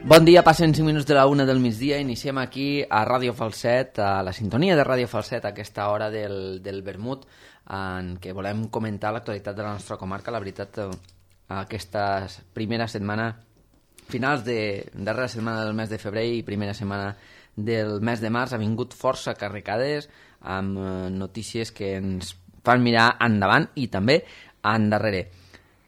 Bon dia, passen 5 minuts de la 1 del migdia. Iniciem aquí a Ràdio Falset, a la sintonia de Ràdio Falset, a aquesta hora del vermut, en què volem comentar l'actualitat de la nostra comarca. La veritat, aquesta primera setmana, darrera setmana del mes de febrer i primera setmana del mes de març, ha vingut força carregades amb notícies que ens fan mirar endavant i també endarrere.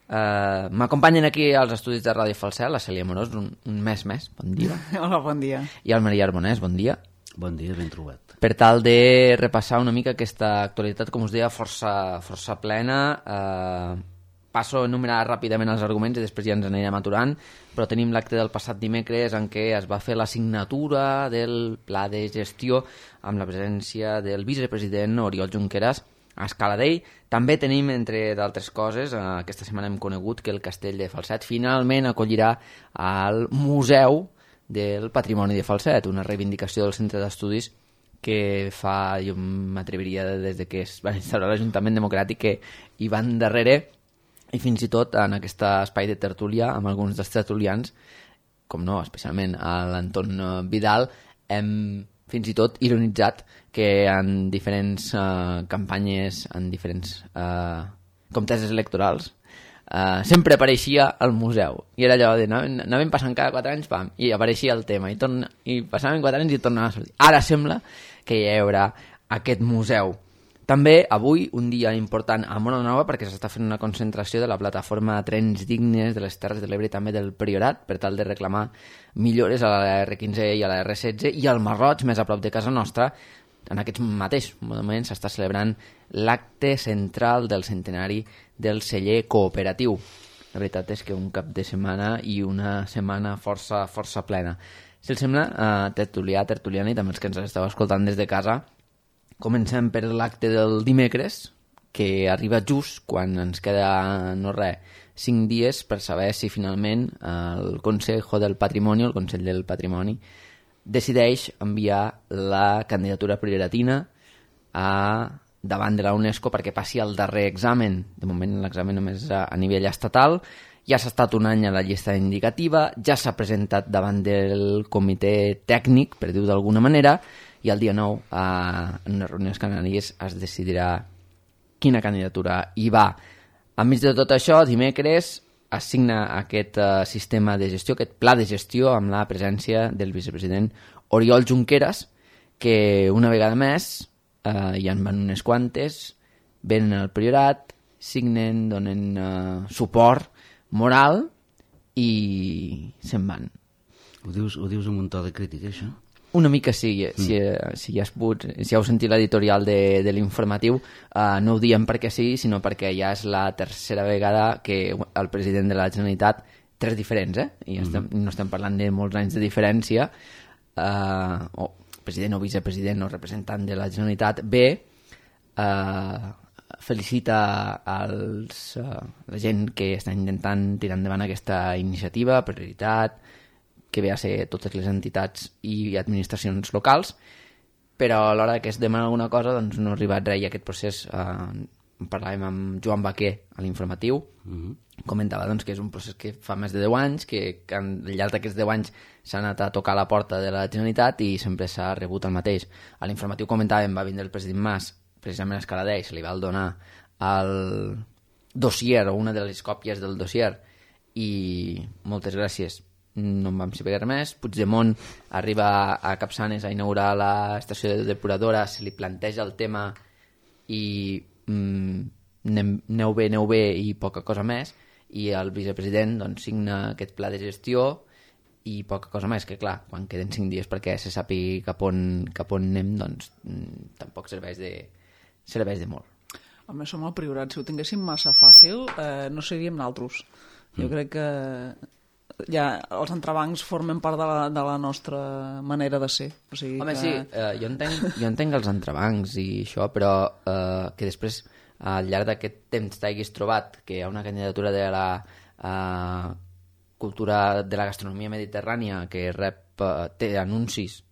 M'acompanyen aquí als estudis de Ràdio Falset la Cèlia Morós, un mes més, bon dia. Hola, bon dia. I el Maria Arbonès, bon dia. Bon dia, ben trobat. Per tal de repassar una mica aquesta actualitat, com us deia, força plena. Passo a enumerar ràpidament els arguments i després ja ens anirem aturant, però tenim l'acte del passat dimecres en què es va fer la signatura del pla de gestió amb la presència del vicepresident Oriol Junqueras a Escaladell. També tenim, entre d'altres coses, aquesta setmana hem conegut que el Castell de Falset finalment acollirà el Museu del Patrimoni de Falset, una reivindicació del centre d'estudis que fa, jo m'atreviria des de que es va instaurar l'Ajuntament Democràtic, que hi van darrere, i fins i tot en aquest espai de tertúlia amb alguns dels tertulians, com no, especialment a l'Anton Vidal, hem fins i tot ironitzat que en diferents campanyes, en diferents conteses electorals, sempre apareixia al museu. I era allò de anàvem passant cada 4 anys, pam, i apareixia el tema, i passaven 4 anys i tornava a sortir. Ara sembla que hi haurà aquest museu. També avui, un dia important a Móra la Nova, perquè s'està fent una concentració de la plataforma Trens Dignes de les Terres de l'Ebre i també del Priorat, per tal de reclamar millores a la R15 i a la R16, i al Marroig, més a prop de casa nostra, en aquest mateix moment s'està celebrant l'acte central del centenari del celler cooperatiu. La veritat és que un cap de setmana i una setmana força plena. Si els sembla, tertuliana i també els que ens esteu escoltant des de casa, comencem per l'acte del dimecres, que arriba just quan ens queda, 5 dies per saber si finalment el Consejo del Patrimoni, el Consell del Patrimoni, decideix enviar la candidatura prioritatina davant de la UNESCO perquè passi el darrer examen. De moment l'examen només a nivell estatal. Ja s'ha estat un any a la llista indicativa, ja s'ha presentat davant del comitè tècnic, per dir-ho d'alguna manera, i el dia 9, en unes reunions canàries, es decidirà quina candidatura hi va. Enmig de tot això, dimecres es signa aquest sistema de gestió, aquest pla de gestió, amb la presència del vicepresident Oriol Junqueras, que una vegada més, ja en van unes quantes, venen al Priorat, signen, donen suport moral i se'n van. Ho dius amb un to de crítica, això? Una mica sí, si heu sentit l'editorial de l'informatiu, no ho diem perquè sí, sinó perquè ja és la tercera vegada que el president de la Generalitat, 3 diferents, i no estem parlant de molts anys de diferència, o president o vicepresident o representant de la Generalitat, felicita la gent que està intentant tirar endavant aquesta iniciativa, prioritat, que ve a ser totes les entitats i administracions locals, però a l'hora que es demana alguna cosa doncs no ha arribat res, i aquest procés parlàvem amb Joan Baquer a l'informatiu, comentava doncs, que és un procés que fa més de 10 anys, que al llarg d'aquests 10 anys s'ha anat a tocar la porta de la Generalitat i sempre s'ha rebut el mateix. A l'informatiu comentàvem, va vindre el president Mas precisament a Escaladell, se li va donar el dossier o una de les còpies del dossier i moltes gràcies, no en vam saber res més. Puigdemont arriba a Capçanes a inaugurar l'estació depuradora, se li planteja el tema i aneu bé i poca cosa més, i el vicepresident doncs, signa aquest pla de gestió i poca cosa més, que clar, quan queden 5 dies perquè se sàpiga cap on anem, doncs tampoc serveix de molt. Home, som el Priorat, si ho tinguéssim massa fàcil no seríem naltros. Jo crec que ja els entrebancs formen part de la nostra manera de ser. O sigui, home, sí, jo entenc els entrebancs i això, però que després al llarg d'aquest temps t'haguis trobat que hi ha una candidatura de la cultura de la gastronomia mediterrània que té anuncis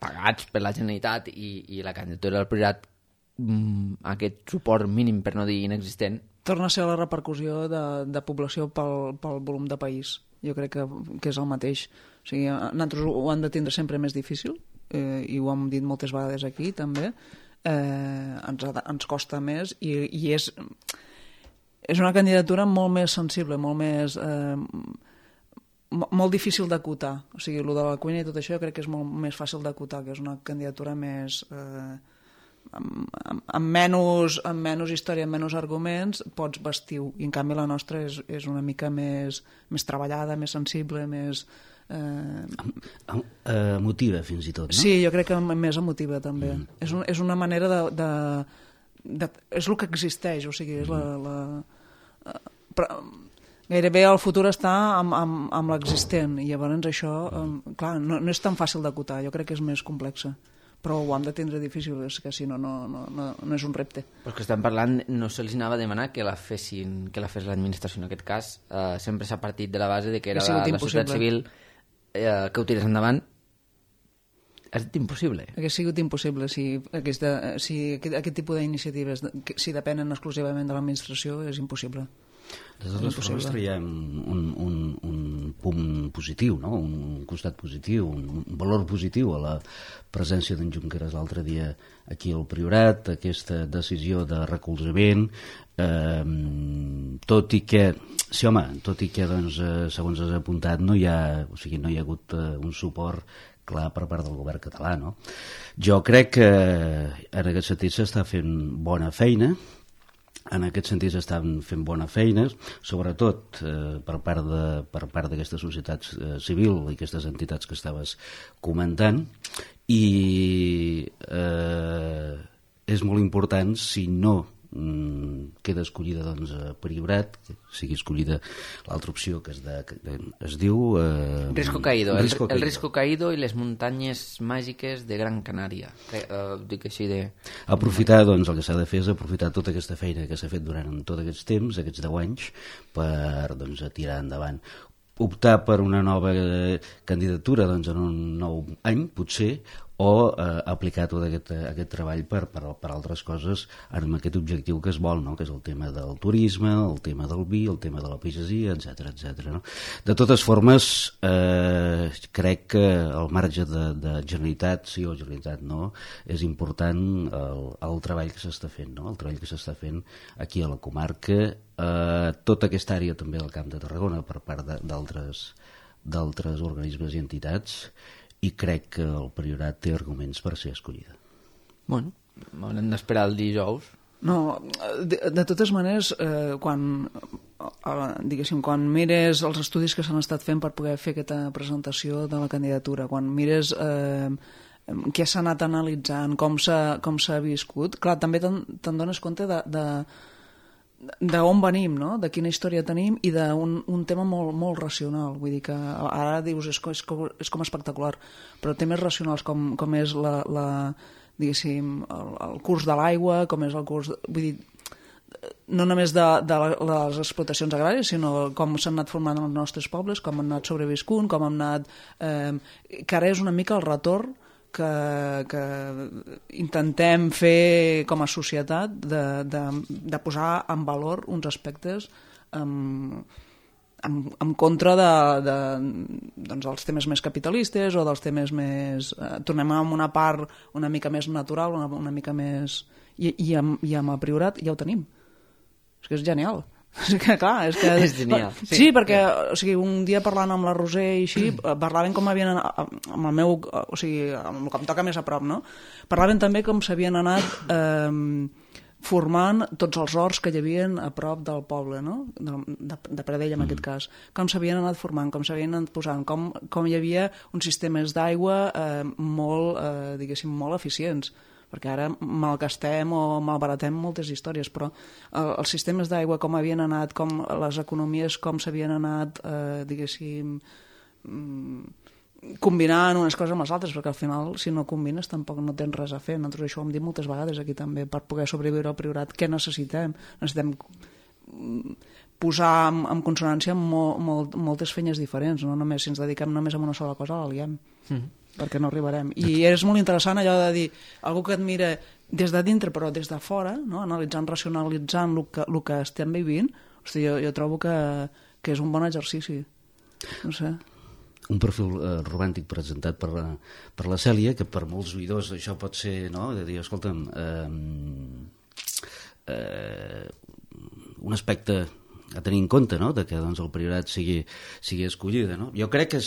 pagats per la Generalitat i la candidatura del Priorat aquest suport mínim, per no dir inexistent, torna a ser la repercussió de població pel volum de país. Jo crec que és el mateix. O sigui, nosaltres ho hem de tindre sempre més difícil, i ho hem dit moltes vegades aquí també, ens costa més i és una candidatura molt més sensible, molt més molt difícil d'acotar. O sigui, el de la cuina i tot això jo crec que és molt més fàcil d'acotar, que és una candidatura més amb menys història, amb menys arguments, pots vestir-ho, i en canvi la nostra és una mica més treballada, més sensible, més emotiva fins i tot, no? Sí, jo crec que més emotiva també. És una manera és el que existeix, o sigui, és gairebé el futur està amb l'existent, i llavors això, clar, no és tan fàcil d'acotar, jo crec que és més complexa, però ho hem de tindre difícil, és que si no és un repte. Però que estem parlant, no se'ls anava a demanar que la fes l'administració, en aquest cas sempre s'ha partit de la base de que era la societat civil que ho tirés endavant. Ha estat impossible. Hauria sigut impossible si aquest tipus d'iniciatives, si depenen exclusivament de l'administració, és impossible. De totes formes traiem un punt positiu, no? Un costat positiu, un valor positiu a la presència d'en Junqueras l'altre dia aquí al Priorat, aquesta decisió de recolzament, tot i que doncs, segons has apuntat no hi ha hagut un suport clar per part del govern català, no? Jo crec que en aquest sentit s'està fent bona feina. En aquest sentit s'estan fent bona feina, sobretot per part d'aquesta societat civil i aquestes entitats que estaves comentant, i és molt important, si no queda escollida doncs, Priorat, que sigui escollida l'altra opció que es diu Risco Caído, el Risco Caído i les muntanyes màgiques de Gran Canària, dic així de... Aprofitar, doncs, el que s'ha de fer és aprofitar tota aquesta feina que s'ha fet durant tots aquests temps, aquests 10 anys, per doncs, tirar endavant. Optar per una nova candidatura doncs, en un nou any, potser, o aplicar tot aquest treball per altres coses amb aquest objectiu que es vol, no? Que és el tema del turisme, el tema del vi, el tema de la pagesia, etc. No? De totes formes, crec que el marge de Generalitat, sí o Generalitat no, és important el treball que s'està fent, no? El treball que s'està fent aquí a la comarca, tota aquesta àrea també del Camp de Tarragona per part d'altres organismes i entitats, i crec que el Priorat té arguments per ser escollida. Bueno, haurem d'esperar el dijous. No, de totes maneres, quan mires els estudis que s'han estat fent per poder fer aquesta presentació de la candidatura, quan mires què s'ha anat analitzant, com s'ha viscut, clar, també te'n dones compte d'on venim, no? De quina història tenim i d'un tema molt racional. Vull dir que ara dius és com espectacular, però temes racionals com és diguéssim, el curs de l'aigua, com és el curs... Vull dir, no només de les explotacions agràries, sinó com s'han anat formant els nostres pobles, com han anat sobreviscut, com han anat... que ara és una mica el retorn que intentem fer com a societat de posar en valor uns aspectes en contra doncs, dels temes més capitalistes o dels temes més... tornem a una part una mica més natural, una mica més... I amb el Priorat ja ho tenim. És que és genial. És que, clar, és genial. Sí, perquè o sigui, un dia parlant amb la Roser i així, parlaven com havien amb el meu, o sigui, amb el que em toca més a prop, no? Parlaven també com s'havien anat formant tots els horts que hi havia a prop del poble, no? De Pradell en aquest cas, com s'havien anat formant, com s'havien anat posant, com hi havia uns sistemes d'aigua molt, diguéssim, molt eficients, perquè ara malgastem o malbaratem moltes històries, però els sistemes d'aigua com havien anat, com les economies com s'havien anat, diguéssim, combinant unes coses amb les altres, perquè al final si no combines tampoc no tens res a fer. Nosaltres això ho hem dit moltes vegades aquí també, per poder sobreviure al Priorat, què necessitem? Necessitem posar en consonància moltes feines diferents, no només si ens dediquem només a una sola cosa la liem, perquè no arribarem. I és molt interessant allò de dir, algú que et mira des de dintre però des de fora, no? Analitzant, racionalitzant el que estem vivint, hosti, jo trobo que és un bon exercici. No sé. Un perfil romàntic presentat per la Cèlia, que per molts oïdors això pot ser, no?, de dir, escolta'm, un aspecte a tenir en compte, no?, de que doncs, el priorat sigui escollida, no? Jo crec que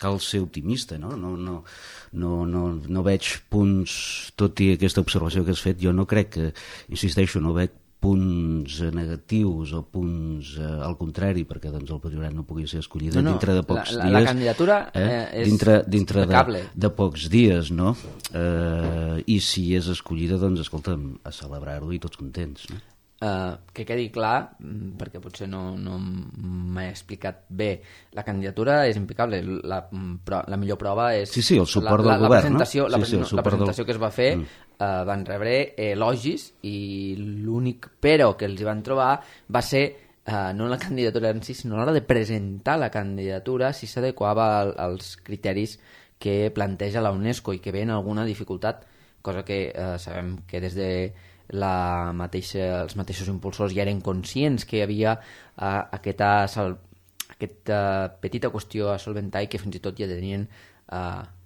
cal ser optimista, no? No veig punts, tot i aquesta observació que has fet, jo no crec que, insisteixo, no veig punts negatius o punts al contrari, perquè doncs, el priorat no pugui ser escollida dintre de pocs dies. La candidatura és dintre de pocs dies, no? I si és escollida, doncs, escolta'm, a celebrar-ho i tots contents, no? Que quedi clar, perquè potser no m'he explicat bé, la candidatura és impecable, la millor prova és sí, el suport del govern, la presentació que es va fer van rebre elogis i l'únic però que els hi van trobar va ser no la candidatura en si, sinó a l'hora de presentar la candidatura si s'adequava als criteris que planteja la UNESCO i que veien alguna dificultat, cosa que sabem que des de els mateixos impulsors ja eren conscients que hi havia aquesta petita qüestió a solventar i que fins i tot ja tenien,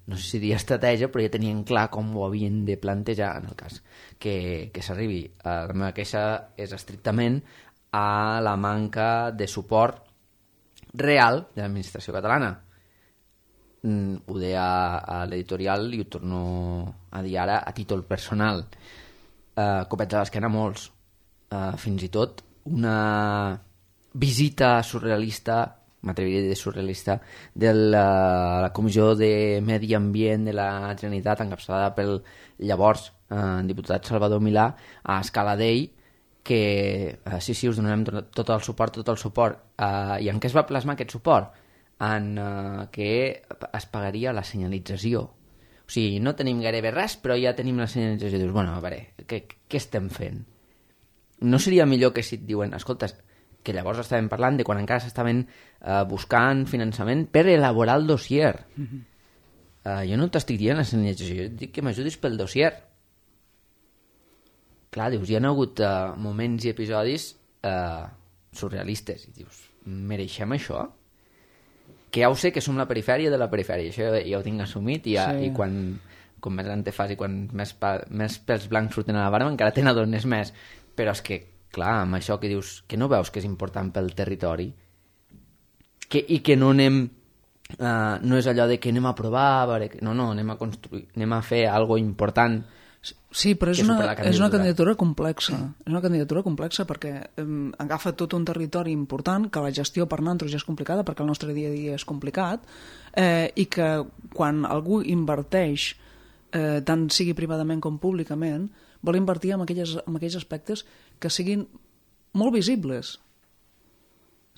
no sé si dir estratègia, però ja tenien clar com ho havien de plantejar en el cas que s'arribi. La meva queixa és estrictament a la manca de suport real de l'administració catalana. Ho deia a l'editorial i ho torno a dir ara a títol personal. Copets a l'esquena molts, fins i tot una visita surrealista, m'atreviria a dir surrealista, de la Comissió de Medi Ambient de la Generalitat, encapçalada pel llavors diputat Salvador Milà, a Escala Dei, que sí, us donarem tot el suport, i en què es va plasmar aquest suport? En que es pagaria la senyalització. O sigui, no tenim gairebé res, però ja tenim la senyalització. Dius, bueno, a veure, què estem fent? No seria millor que si et diuen, escolta, que llavors estàvem parlant de quan encara s'estaven buscant finançament per elaborar el dossier. Jo no t'estic dient la senyalització, jo et dic que m'ajudis pel dossier. Clar, dius, hi ha hagut moments i episodis surrealistes. I dius, mereixem això? Que ja ho sé que som la perifèria de la perifèria, això ja ho tinc assumit i quan més gran te fas i quan més pèls blancs surten a la barba encara te n'adones més, però és que clar, amb això que dius que no veus que és important pel territori i que no anem no és allò de que anem a provar, no, anem a construir, anem a fer alguna important. Sí, però és una candidatura complexa. És una candidatura complexa perquè agafa tot un territori important que la gestió per nosaltres ja és complicada perquè el nostre dia a dia és complicat i que quan algú inverteix tant sigui privadament com públicament vol invertir en aquells aspectes que siguin molt visibles.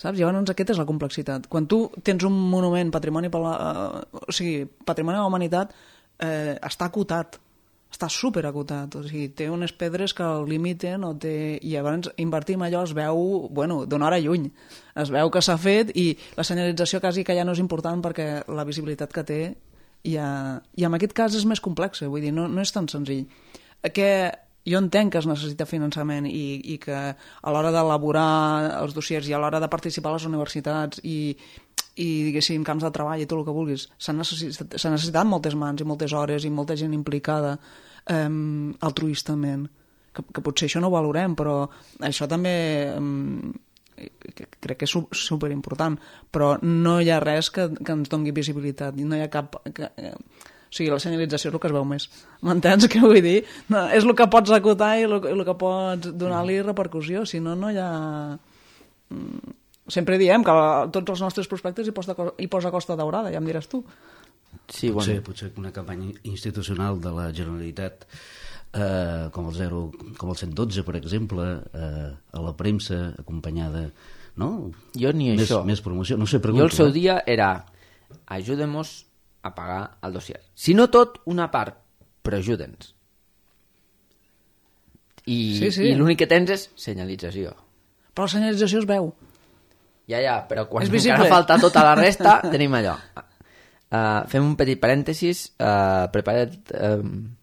Saps? Llavors aquesta és la complexitat. Quan tu tens un monument patrimoni patrimoni de la humanitat està acotat, està superacotat, o sigui, té unes pedres que el limiten i llavors invertir en allò es veu, d'una hora lluny, es veu que s'ha fet i la senyalització quasi que ja no és important perquè la visibilitat que té i en aquest cas és més complex, vull dir, no és tan senzill. Jo entenc que es necessita finançament i que a l'hora d'elaborar els dossiers i a l'hora de participar a les universitats i diguéssim, camps de treball i tot el que vulguis, s'han necessitat moltes mans i moltes hores i molta gent implicada altruistament, que potser això no ho valorem, però això també crec que és superimportant, però no hi ha res que ens doni visibilitat, no hi ha cap... O sigui, la senyalització és el que es veu més. M'entens què vull dir? No, és el que pots acotar i el que pots donar-li repercussió, si no, no hi ha... Sempre diem que tots els nostres prospectes hi posa Costa Daurada, ja em diràs tu. Sí, potser una campanya institucional de la Generalitat com el 112, per exemple, a la premsa, acompanyada... No? Jo ni això. Més promoció. No sé, pregunto. Jo el seu dia era ajudem-nos a pagar el dossier. Si no tot, una part, però ajuda'ns. I l'únic que tens és senyalització. Però la senyalització es veu. Ja, però quan És visible. encara falta tota la resta, tenim allò. Fem un petit parèntesis. Prepara't,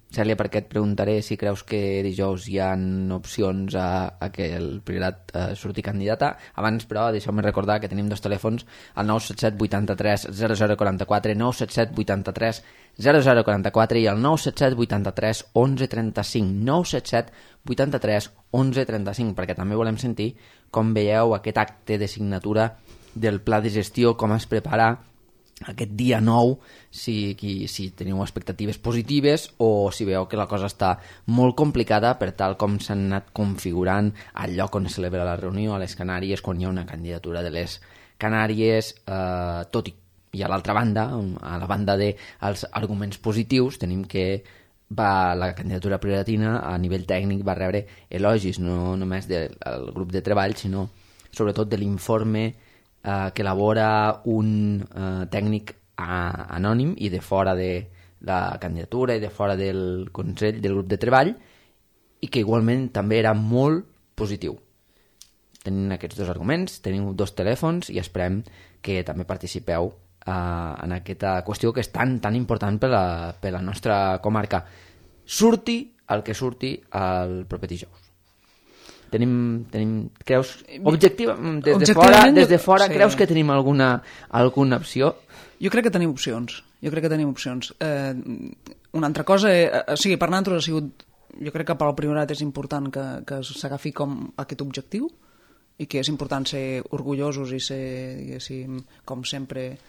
Cèlia, perquè et preguntaré si creus que dijous hi ha opcions a que el Priorat surti candidata. Abans, però, deixeu-me recordar que tenim dos telèfons, el 977 83 0044, 977 83 0044 i el 977 83 11 35, 977 83 11 35, perquè també volem sentir com veieu aquest acte de signatura del pla de gestió, com es prepara aquest dia 9, si teniu expectatives positives o si veieu que la cosa està molt complicada per tal com s'han anat configurant el lloc on es celebra la reunió a les Canàries, quan hi ha una candidatura de les Canàries, tot i a l'altra banda, a la banda dels arguments positius, tenim que la candidatura prioritina a nivell tècnic va rebre elogis, no només del grup de treball, sinó sobretot de l'informe que elabora un tècnic anònim i de fora de la candidatura i de fora del Consell, del grup de treball, i que igualment també era molt positiu. Tenim aquests dos arguments, teniu dos telèfons i esperem que també participeu en aquesta qüestió que és tan important per la nostra comarca. Surti el que surti el proper dijous. Creus, des de fora sí. Creus que tenim alguna opció? Jo crec que tenim opcions. Una altra cosa, per nosaltres ha sigut, jo crec que per al Priorat és important que s'agafi com aquest objectiu i que és important ser orgullosos i ser, diguéssim, com sempre,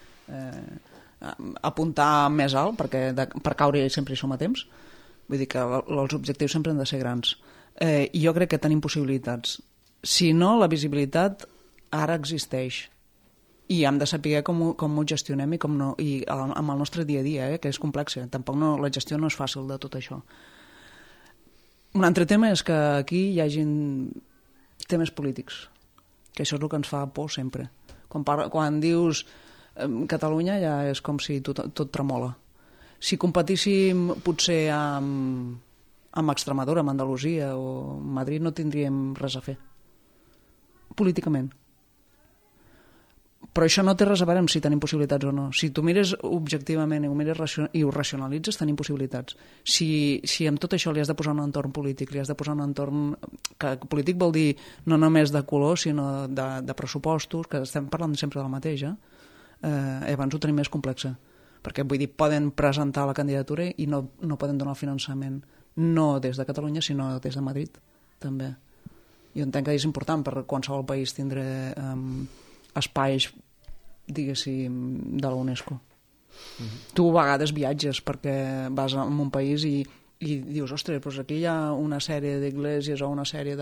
apuntar més alt, perquè per caure sempre hi som a temps. Vull dir que els objectius sempre han de ser grans. I jo crec que tenim possibilitats. Si no, la visibilitat ara existeix i hem de saber com ho gestionem i com no, i amb el nostre dia a dia, que és complex. Tampoc la gestió no és fàcil de tot això. Un altre tema és que aquí hi hagi temes polítics, que això és el que ens fa por sempre. Quan dius Catalunya ja és com si tot tremola. Si competíssim potser amb Extremadura, amb Andalusia o Madrid, no tindríem res a fer políticament. Però això no té res a veure amb si tenim possibilitats o no. Si tu mires objectivament i ho racionalitzes, tenim possibilitats. Si amb tot això li has de posar un entorn polític, li has de posar un entorn que polític vol dir no només de color, sinó de pressupostos, que estem parlant sempre del mateix, abans ho tenim més complexa. Perquè, vull dir, poden presentar la candidatura i no poden donar el finançament no des de Catalunya, sinó des de Madrid, també. Jo entenc que és important per qualsevol país tindre espais, diguéssim, de la UNESCO. Tu a vegades viatges perquè vas a un país i dius, ostres, doncs aquí hi ha una sèrie d'esglésies o una sèrie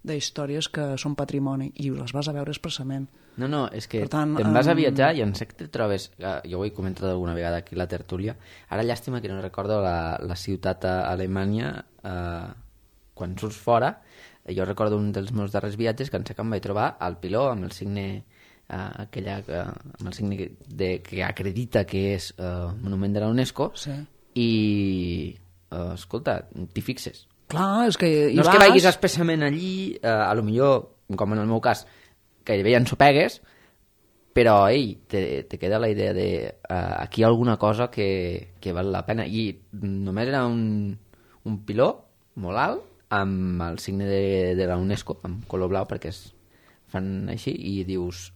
d'històries que són patrimoni i les vas a veure expressament. No, és que te'n vas a viatjar i en sé que te trobes, jo ho he comentat alguna vegada aquí a la tertúlia, ara llàstima que no recordo la ciutat a Alemanya, quan surts fora, jo recordo un dels meus darrers viatges que en sé que em vaig trobar al piló amb el signe amb el signe que acredita que és monument de la UNESCO, sí. I escolta, t'hi fixes. Clar, és que no és que vagis expressament allí, a lo millor, com en el meu cas, gairebé ja ensopegues, però te queda la idea de aquí hi ha alguna cosa que val la pena. I només era un piló molt alt amb el signe de la UNESCO, amb color blau, perquè es fan així, i dius,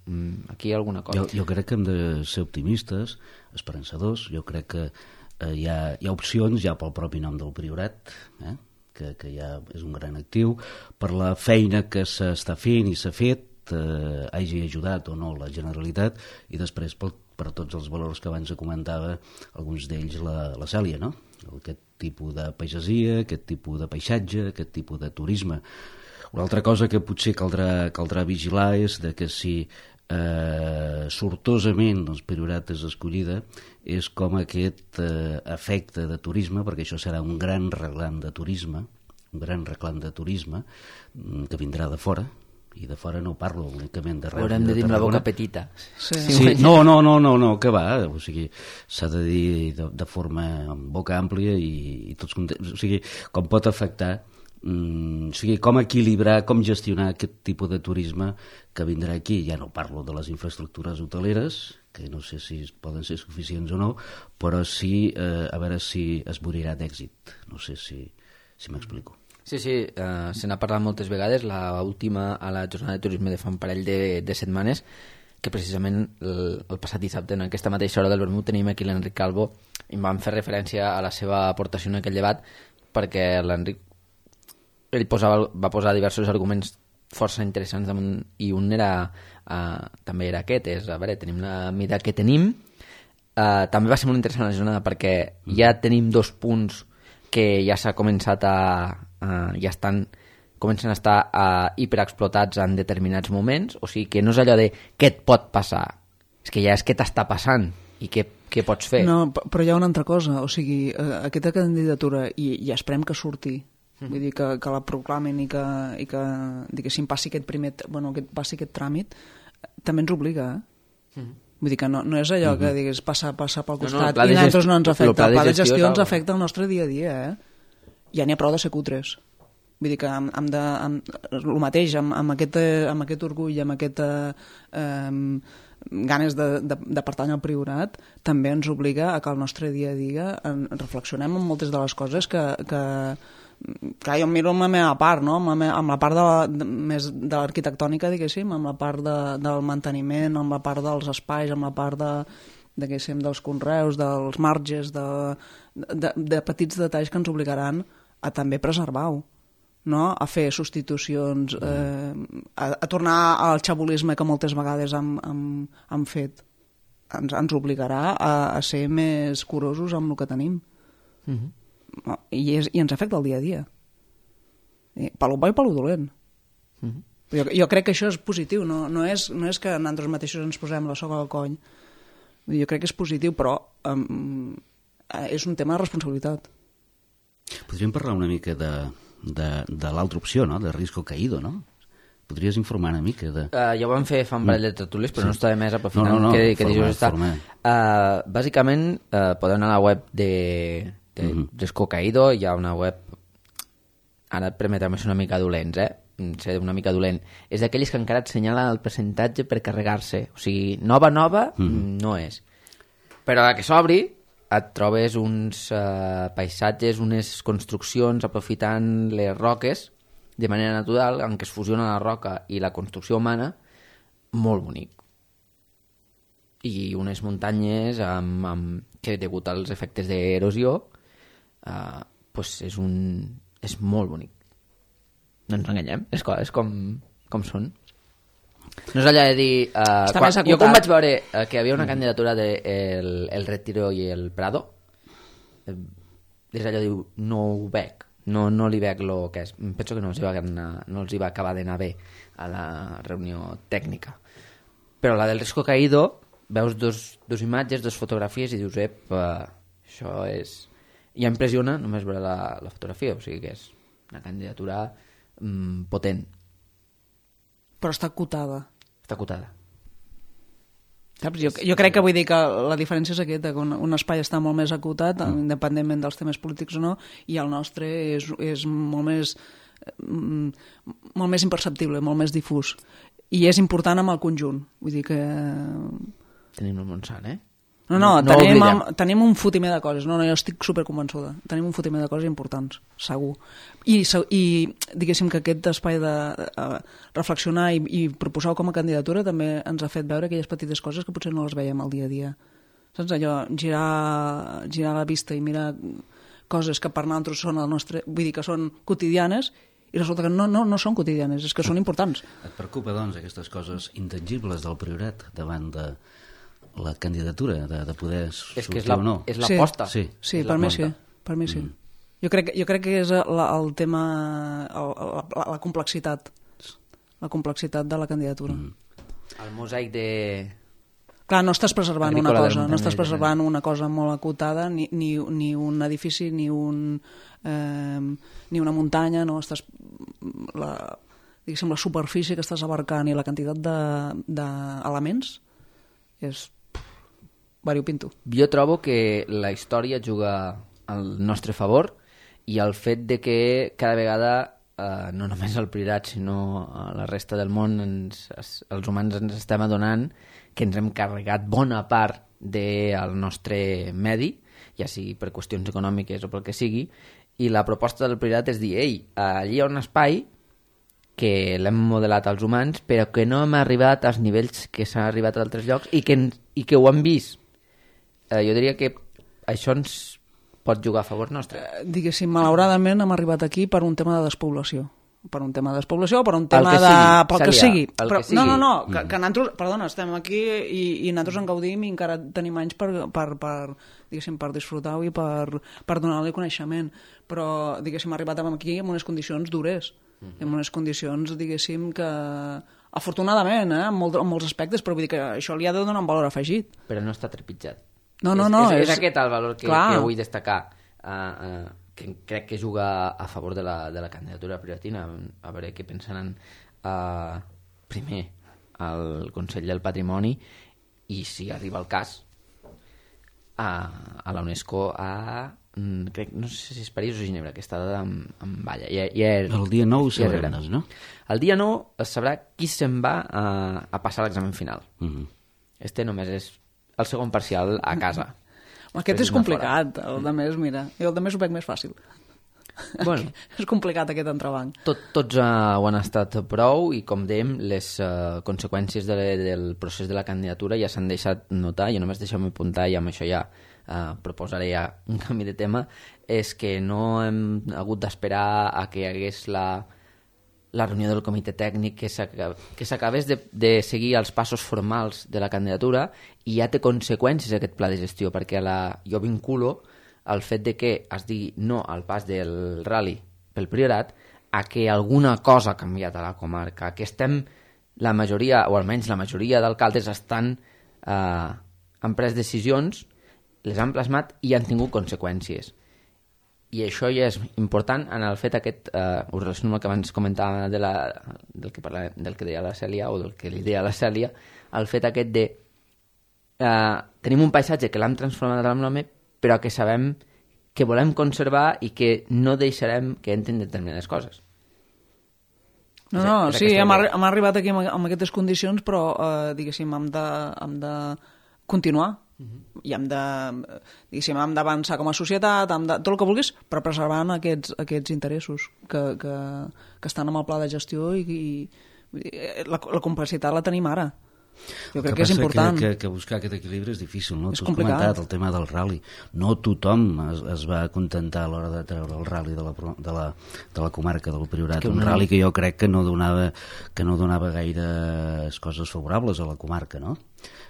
aquí hi ha alguna cosa. Jo crec que hem de ser optimistes, esperançadors. Jo crec que hi ha opcions ja pel propi nom del Priorat, que ja és un gran actiu, per la feina que s'està fent i s'ha fet, hagi ajudat o no la Generalitat, i després per tots els valors que abans comentava, alguns d'ells la Cèlia, no? Aquest tipus de pagesia, aquest tipus de paisatge, aquest tipus de turisme. Una altra cosa que potser caldrà vigilar és que si sortosament el Priorat és escollida, és com aquest efecte de turisme, perquè això serà un gran reclam de turisme, que vindrà de fora, i de fora no parlo únicament de Reus. Haurem de dir la boca petita. Sí. No, que va, o sigui, s'ha de dir de forma amb boca àmplia i tots contents. O sigui, com pot afectar o sigui, com equilibrar, com gestionar aquest tipus de turisme que vindrà aquí. Ja no parlo de les infraestructures hoteleres, que no sé si poden ser suficients o no, però sí, a veure si es morirà d'èxit. No sé si m'explico. Sí, se n'ha parlat moltes vegades, l'última a la jornada de turisme de fa un parell de setmanes, que precisament el passat dissabte, en aquesta mateixa hora del vermut, tenim aquí l'Enric Calvo i vam fer referència a la seva aportació en aquell debat, perquè l'Enric ell va posar diversos arguments força interessants damunt, i un també era aquest, a veure, tenim la mida que tenim, també va ser molt interessant la jornada perquè ja tenim 2 punts que ja s'ha començat comencen a estar hiperexplotats en determinats moments, o sigui que no és allò de què et pot passar, és que ja és què t'està passant i què pots fer. No, però hi ha una altra cosa, o sigui, aquesta candidatura, i esperem que surti, vull dir, que la proclamen i que diguéssim, passi aquest tràmit, també ens obliga, Vull dir que no és allò que digues passa pel costat i a nosaltres no ens afecta. El pla de gestió ens afecta el nostre dia a dia, Ja n'hi ha prou de ser cutres. Vull dir que el mateix, amb aquest orgull, amb aquesta ganes de pertànyer al Priorat, també ens obliga a que el nostre dia a dia reflexionem en moltes de les coses que clar, jo miro amb la meva part, no? amb la part més de l'arquitectònica, diguéssim, amb la part del manteniment, amb la part dels espais, amb la part dels conreus, dels marges, de petits detalls que ens obligaran a també preservar-ho, no? A fer substitucions, a tornar al xabolisme que moltes vegades hem fet. Ens obligarà a ser més curosos amb el que tenim. I ens afecta el dia a dia. Pel bo i pel dolent. Jo crec que això és positiu, no és que nosaltres mateixos ens posem la soga al coll. Jo crec que és positiu, però és un tema de responsabilitat. Podríem parlar una mica de l'altra opció, no? De risco caído, no? Podries informar una mica de... Ja ho vam fer fa un parell de tertúlies, però no estava més aprofitant que dijous està. Bàsicament, podeu anar a la web de Risco Caído, hi ha una web... Ara et permetrem ser una mica dolents, ser una mica dolent. És d'aquells que encara et senyala el percentatge per carregar-se. O sigui, nova, no és. Però a la que s'obri et trobes uns paisatges, unes construccions aprofitant les roques de manera natural, en què es fusiona la roca i la construcció humana, molt bonic. I unes muntanyes que, degut als efectes d'erosió, és molt bonic. No ens enganyem, és com són. No és allò de dir... jo quan vaig veure que hi havia una candidatura de el Retiro i el Prado, és allò de dir, no ho veig, no li veig el que és. Penso que no els hi va acabar d'anar bé a la reunió tècnica. Però la del Risco Caído, veus dos imatges, 2 fotografies i dius, això és... Ja impressiona només veure la fotografia, o sigui que és una candidatura potent. Però està acotada. Està acotada. Saps? Jo crec que vull dir que la diferència és aquesta, que un espai està molt més acotat, independentment dels temes polítics o no, i el nostre és molt més imperceptible, molt més difús. I és important amb el conjunt. Vull dir que... Tenim el Montsant, tenim un fotimer de coses. Jo estic superconvençuda. Tenim un fotimer de coses importants, segur. I diguéssim que aquest espai de reflexionar i proposar com a candidatura també ens ha fet veure aquelles petites coses que potser no les veiem al dia a dia. Saps? Allò, girar la vista i mirar coses que per nosaltres són el nostre... Vull dir que són quotidianes i resulta que no són quotidianes, és que són importants. Et preocupa, doncs, aquestes coses intangibles del Priorat davant de la candidatura, de poder sortir o no? És l'aposta. Sí, per mi sí. Jo crec que és el tema, la complexitat de la candidatura. El mosaic de... Clar, no estàs preservant una cosa, no estàs preservant una cosa molt acotada, ni un edifici, ni una muntanya, no estàs... Diguéssim, la superfície que estàs abarcant i la quantitat d'elements és variopinto. Jo trobo que la història juga al nostre favor i el fet de que cada vegada no només el Priorat, sinó a la resta del món, els humans ens estem adonant que ens hem carregat bona part del nostre medi, ja sigui per qüestions econòmiques o pel que sigui, i la proposta del Priorat és dir, ei, allí hi ha un espai que l'hem modelat als humans, però que no hem arribat als nivells que s'han arribat a altres llocs i que ho hem vist. Jo diria que això ens pot jugar a favor nostre. Diguéssim, malauradament hem arribat aquí per un tema de despoblació. Per un tema de despoblació o per un tema pel que sigui. Però, no, que nosaltres, perdona, estem aquí i nosaltres en gaudim i encara tenim anys diguéssim, per disfrutar-ho i per donar-li coneixement. Però, diguéssim, arribat aquí en unes condicions dures, en unes condicions, diguéssim, que afortunadament, en molts aspectes, però vull dir que això li ha de donar un valor afegit. Però no està trepitjat. No. És aquest el valor que vull destacar, que crec que juga a favor de la candidatura prioritina. A veure què pensaran primer al Consell del Patrimoni i, si arriba el cas, a la UNESCO crec, no sé si és París o Ginebra, que està en balla. El dia 9 ho sabrem, no? El dia 9 es sabrà qui se'n va a passar l'examen final. Este només és el segon parcial a casa. Aquest és complicat, el de més, mira. Jo el de més ho veig més fàcil. Bueno, és complicat aquest entrebanc. Tots ho han estat prou i, com dèiem, les conseqüències del procés de la candidatura ja s'han deixat notar. Jo només deixeu-me apuntar, i amb això ja proposaré ja un canvi de tema, és que no hem hagut d'esperar a que hi hagués la reunió del comitè tècnic, que s'acabés de seguir els passos formals de la candidatura, i ja té conseqüències aquest pla de gestió, perquè jo vinculo el fet de que es digui no al pas del rally pel Priorat a que alguna cosa ha canviat a la comarca, que la majoria, o almenys la majoria d'alcaldes han pres decisions, les han plasmat i han tingut conseqüències. I això ja és important en el fet aquest, ho relaciono amb el que abans comentava del que deia la Cèlia, o del que li deia la Cèlia, el fet aquest de tenim un paisatge que l'hem transformat amb l'home, però que sabem que volem conservar i que no deixarem que entrin determinades coses. No, sí, hem arribat aquí amb aquestes condicions, però diguéssim, hem de continuar i hem d'avançar com a societat, tot el que vulguis, però preservant aquests interessos que estan en el pla de gestió, i la complexitat la tenim ara. Jo crec que és important. Que buscar aquest equilibri és difícil, no? És Tu has comentat el tema del rally. No tothom es va contentar a l'hora de treure el rally de la comarca del Priorat. Un rally que jo crec que no donava gaires coses favorables a la comarca, no?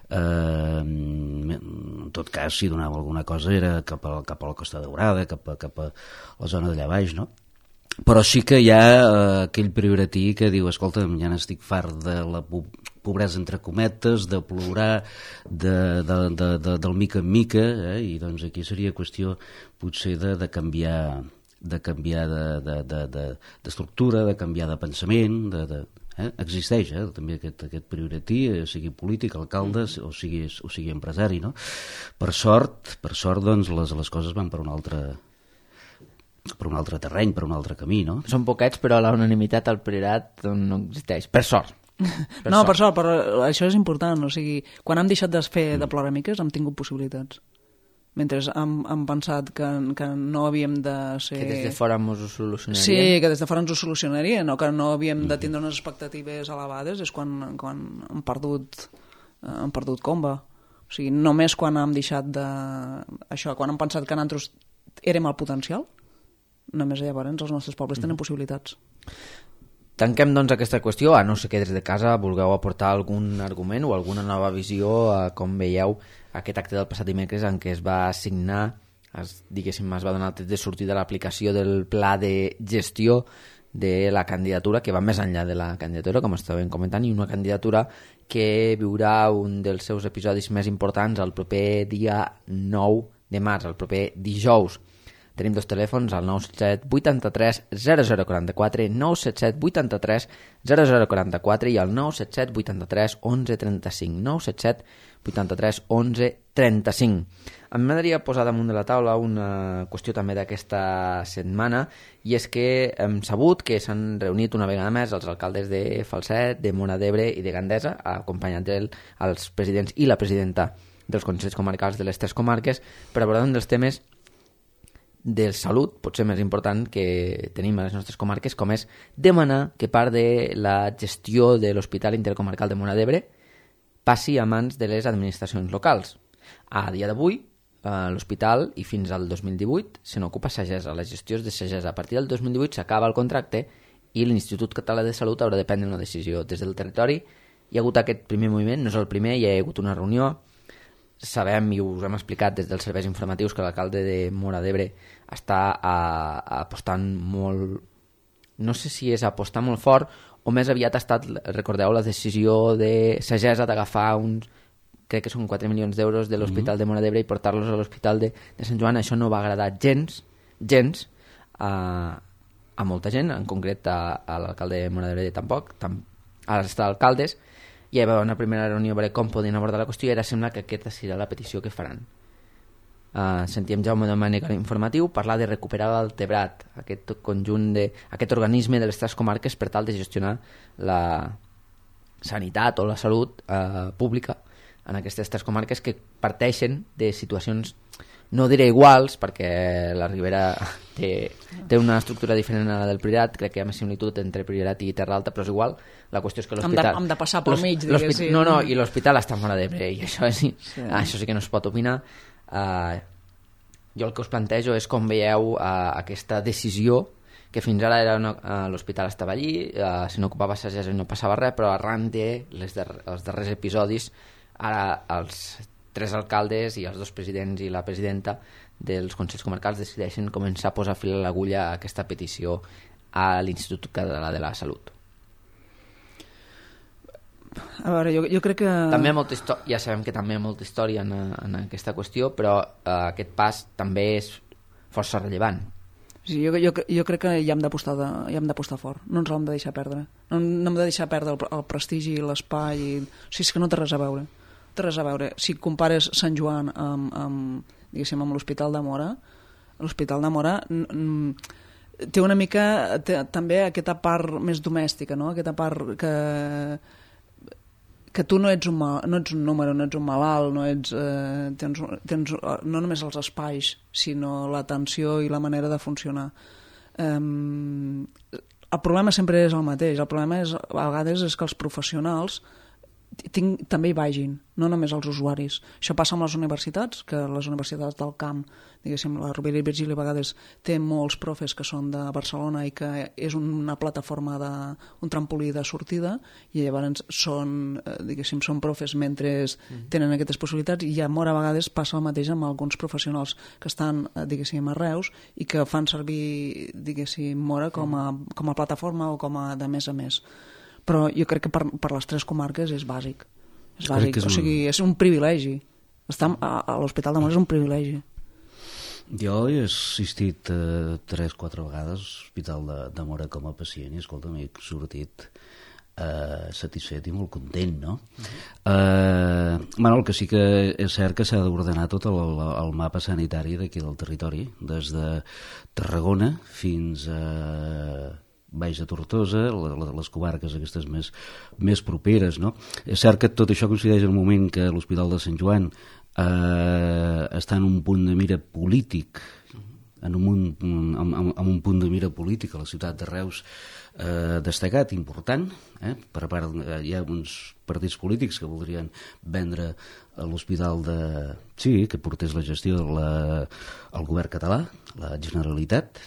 En tot cas, si donava alguna cosa era cap a la Costa Daurada, cap a la zona d'allà baix, no? Però sí que hi ha aquell prioratí que diu, escolta, ja n'estic fart de la pobresa entre cometes, de plorar del mica en mica, i doncs aquí seria qüestió potser de canviar d'estructura, de canviar de pensament, existeix també aquest prioratí, sigui polític, alcalde o sigui empresari, no? Per sort doncs les coses van per un altre terreny, per un altre camí, no? Són poquets, però la unanimitat al Priorat no existeix, per sort. Per sort, però això és important, o sigui, quan hem deixat de fer de ploramiques hem tingut possibilitats. Mentre hem pensat que no havíem de ser... Que des de fora ens ho solucionarien. Sí, que des de fora ens ho solucionarien, o que no havíem de tindre unes expectatives elevades, és quan hem perdut comba. O sigui, només quan hem deixat de... Això, quan hem pensat que nosaltres érem el potencial, només llavors els nostres pobles tenen possibilitats. Tanquem, doncs, aquesta qüestió, a no ser que des de casa vulgueu aportar algun argument o alguna nova visió a com veieu aquest acte del passat dimecres en què es va assignar, es va donar el tret de sortir de l'aplicació del pla de gestió de la candidatura, que va més enllà de la candidatura, com estàvem comentant, i una candidatura que viurà un dels seus episodis més importants el proper dia 9 de març, el proper dijous. Tenim dos telèfons, el 977 83 0044, 977 83 0044 i el 977 83 11 35, 977 83 11 35. A mi m'agradaria posar damunt de la taula una qüestió també d'aquesta setmana, i és que hem sabut que s'han reunit una vegada més els alcaldes de Falset, de Móra d'Ebre i de Gandesa, acompanyant els presidents i la presidenta dels consells comarcals de les tres comarques, per abordar un dels temes de salut, potser més important que tenim a les nostres comarques, com és demanar que part de la gestió de l'Hospital Intercomarcal de Móra d'Ebre passi a mans de les administracions locals. A dia d'avui, l'hospital, i fins al 2018, se n'ocupa Sagesa. Les gestions de Sagesa. A partir del 2018 s'acaba el contracte i l'Institut Català de Salut haurà de prendre una decisió. Des del territori hi ha hagut aquest primer moviment, no és el primer, hi ha hagut una reunió. Sabem, i us hem explicat des dels serveis informatius, que l'alcalde de Móra d'Ebre està apostant molt... No sé si és apostar molt fort o més aviat ha estat, recordeu, la decisió de Sagesa d'agafar uns, crec que són 4 milions d'euros de l'Hospital de Móra d'Ebre i portar-los a l'Hospital de Sant Joan. Això no va agradar gens a molta gent, en concret a l'alcalde de Móra d'Ebre tampoc, a les alcaldes. Hi va haver una primera reunió a veure com podien abordar la qüestió i ara sembla que aquesta serà la petició que faran. Sentíem Jaume Domènech a l'informatiu parlar de recuperar l'Altebrat, aquest conjunt aquest organisme de les tres comarques per tal de gestionar la sanitat o la salut pública en aquestes tres comarques que parteixen de situacions, no diré iguals, perquè la Ribera té una estructura diferent a la del Priorat, crec que hi ha més similitud entre Priorat i Terra Alta, però és igual. La qüestió és que l'hospital... Hem de passar pel mig, diguéssim. No, i l'hospital està a Móra d'Ebre, i això sí que no es pot opinar. Jo el que us plantejo és com veieu aquesta decisió, que fins ara l'hospital estava allí, se n'ocupava Sagesa i no passava res, però arran dels darrers episodis, ara els tres alcaldes i els dos presidents i la presidenta dels consells comarcals decideixen començar a posar fil a l'agulla a aquesta petició a l'Institut Català de la Salut. A veure, jo crec que... També ja sabem que també hi ha molta història en aquesta qüestió, però aquest pas també és força rellevant. Sí, jo crec que hi hem d'apostar fort, no ens l'hem de deixar perdre. No hem de deixar perdre el prestigi i l'espai. O sigui, és que no té res a veure. Si compares Sant Joan amb l'Hospital de Móra, l'Hospital de Móra té una mica també aquesta part més domèstica, no? Aquesta part que tu no ets un número, no ets un malalt, no ets, tens no només els espais, sinó l'atenció i la manera de funcionar. El problema sempre és el mateix. El problema a vegades és que els professionals també hi vagin, no només els usuaris. Això passa amb les universitats, que les universitats del camp, diguéssim, la Rovira i Virgili a vegades té molts profes que són de Barcelona i que és una plataforma, un trampolí de sortida, i llavors són profes mentre tenen aquestes possibilitats, i a Móra a vegades passa el mateix amb alguns professionals que estan, a Reus i que fan servir, Móra com a plataforma o com a de més a més. Però jo crec que per les tres comarques és bàsic. O sigui, és un privilegi. Estar a l'Hospital de Móra és un privilegi. Jo he assistit 3-4 vegades a l'Hospital de Móra com a pacient i, escolta, m'he sortit satisfet i molt content, no? El que sí que és cert que s'ha d'ordenar tot el mapa sanitari d'aquí del territori, des de Tarragona fins a Baix de Tortosa, les comarques aquestes més properes, no? És cert que tot això coincideix en el moment que l'Hospital de Sant Joan està en un punt de mira polític, amb un punt de mira polític a la ciutat de Reus destacat, important, per part hi ha uns partits polítics que voldrien vendre l'hospital que portés la gestió del govern català, la Generalitat,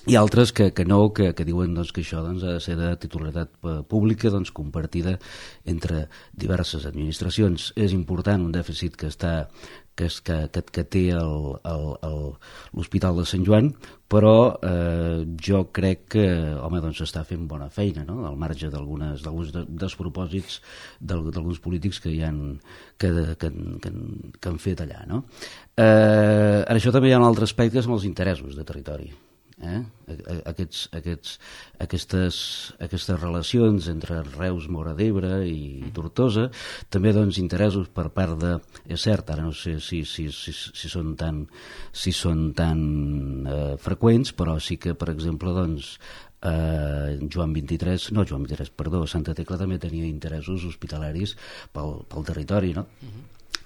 i altres que diuen que això ha de ser de titularitat pública, compartida entre diverses administracions. És important un dèficit que està que té l'Hospital de Sant Joan, però jo crec que doncs està fent bona feina, no? Al marge d'alguns despropòsits d'alguns polítics que han fet allà, no? En això també hi ha un altre aspecte, són els interessos de territori. Aquestes relacions entre Reus, Móra d'Ebre i Tortosa, també doncs interessos per part de, és cert, ara no sé si són tan freqüents, però sí que per exemple doncs Santa Tecla també tenia interessos hospitalaris pel territori, no?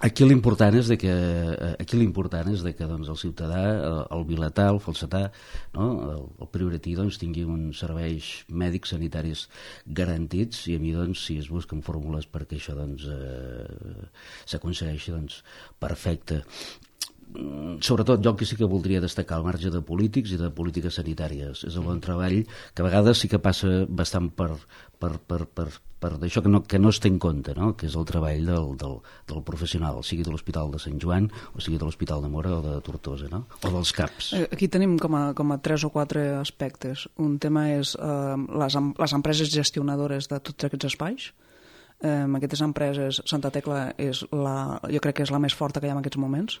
Aquí l'important és que doncs, el ciutadà, el vilatà, el falsetà, no? El prioratí doncs, tingui uns serveis mèdics sanitaris garantits, i a mi doncs, si es busquen fórmules perquè això doncs, s'aconsegueixi, doncs, perfecte. Sobretot jo que sí que voldria destacar al marge de polítics i de polítiques sanitàries és el bon treball, que a vegades sí que passa bastant per això que no es té en compte, no? Que és el treball del professional, sigui de l'Hospital de Sant Joan o sigui de l'Hospital de Móra o de Tortosa, no? O dels CAPs. Aquí tenim com a 3 o 4 aspectes. Un tema és les empreses gestionadores de tots aquests espais. Aquestes empreses, Santa Tecla jo crec que és la més forta que hi ha en aquests moments.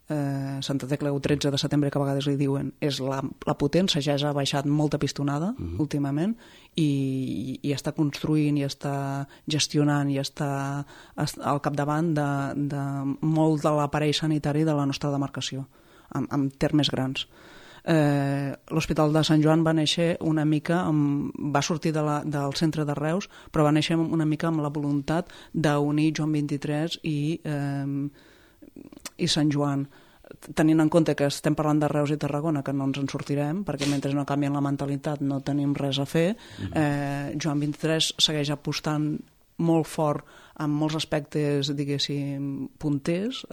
Santa Tecla, el 13 de setembre, que a vegades li diuen, és la potent. Sagesa ha baixat molta pistonada últimament i està construint i està gestionant i està al capdavant de molt de l'aparell sanitari de la nostra demarcació, en termes grans. L'Hospital de Sant Joan va néixer una mica va sortir del centre de Reus, però va néixer una mica amb la voluntat d'unir Joan 23 i Sant Joan, tenint en compte que estem parlant de Reus i Tarragona, que no ens en sortirem, perquè mentre no canvien la mentalitat no tenim res a fer. Joan 23 segueix apostant molt fort en molts aspectes, diguéssim, punters,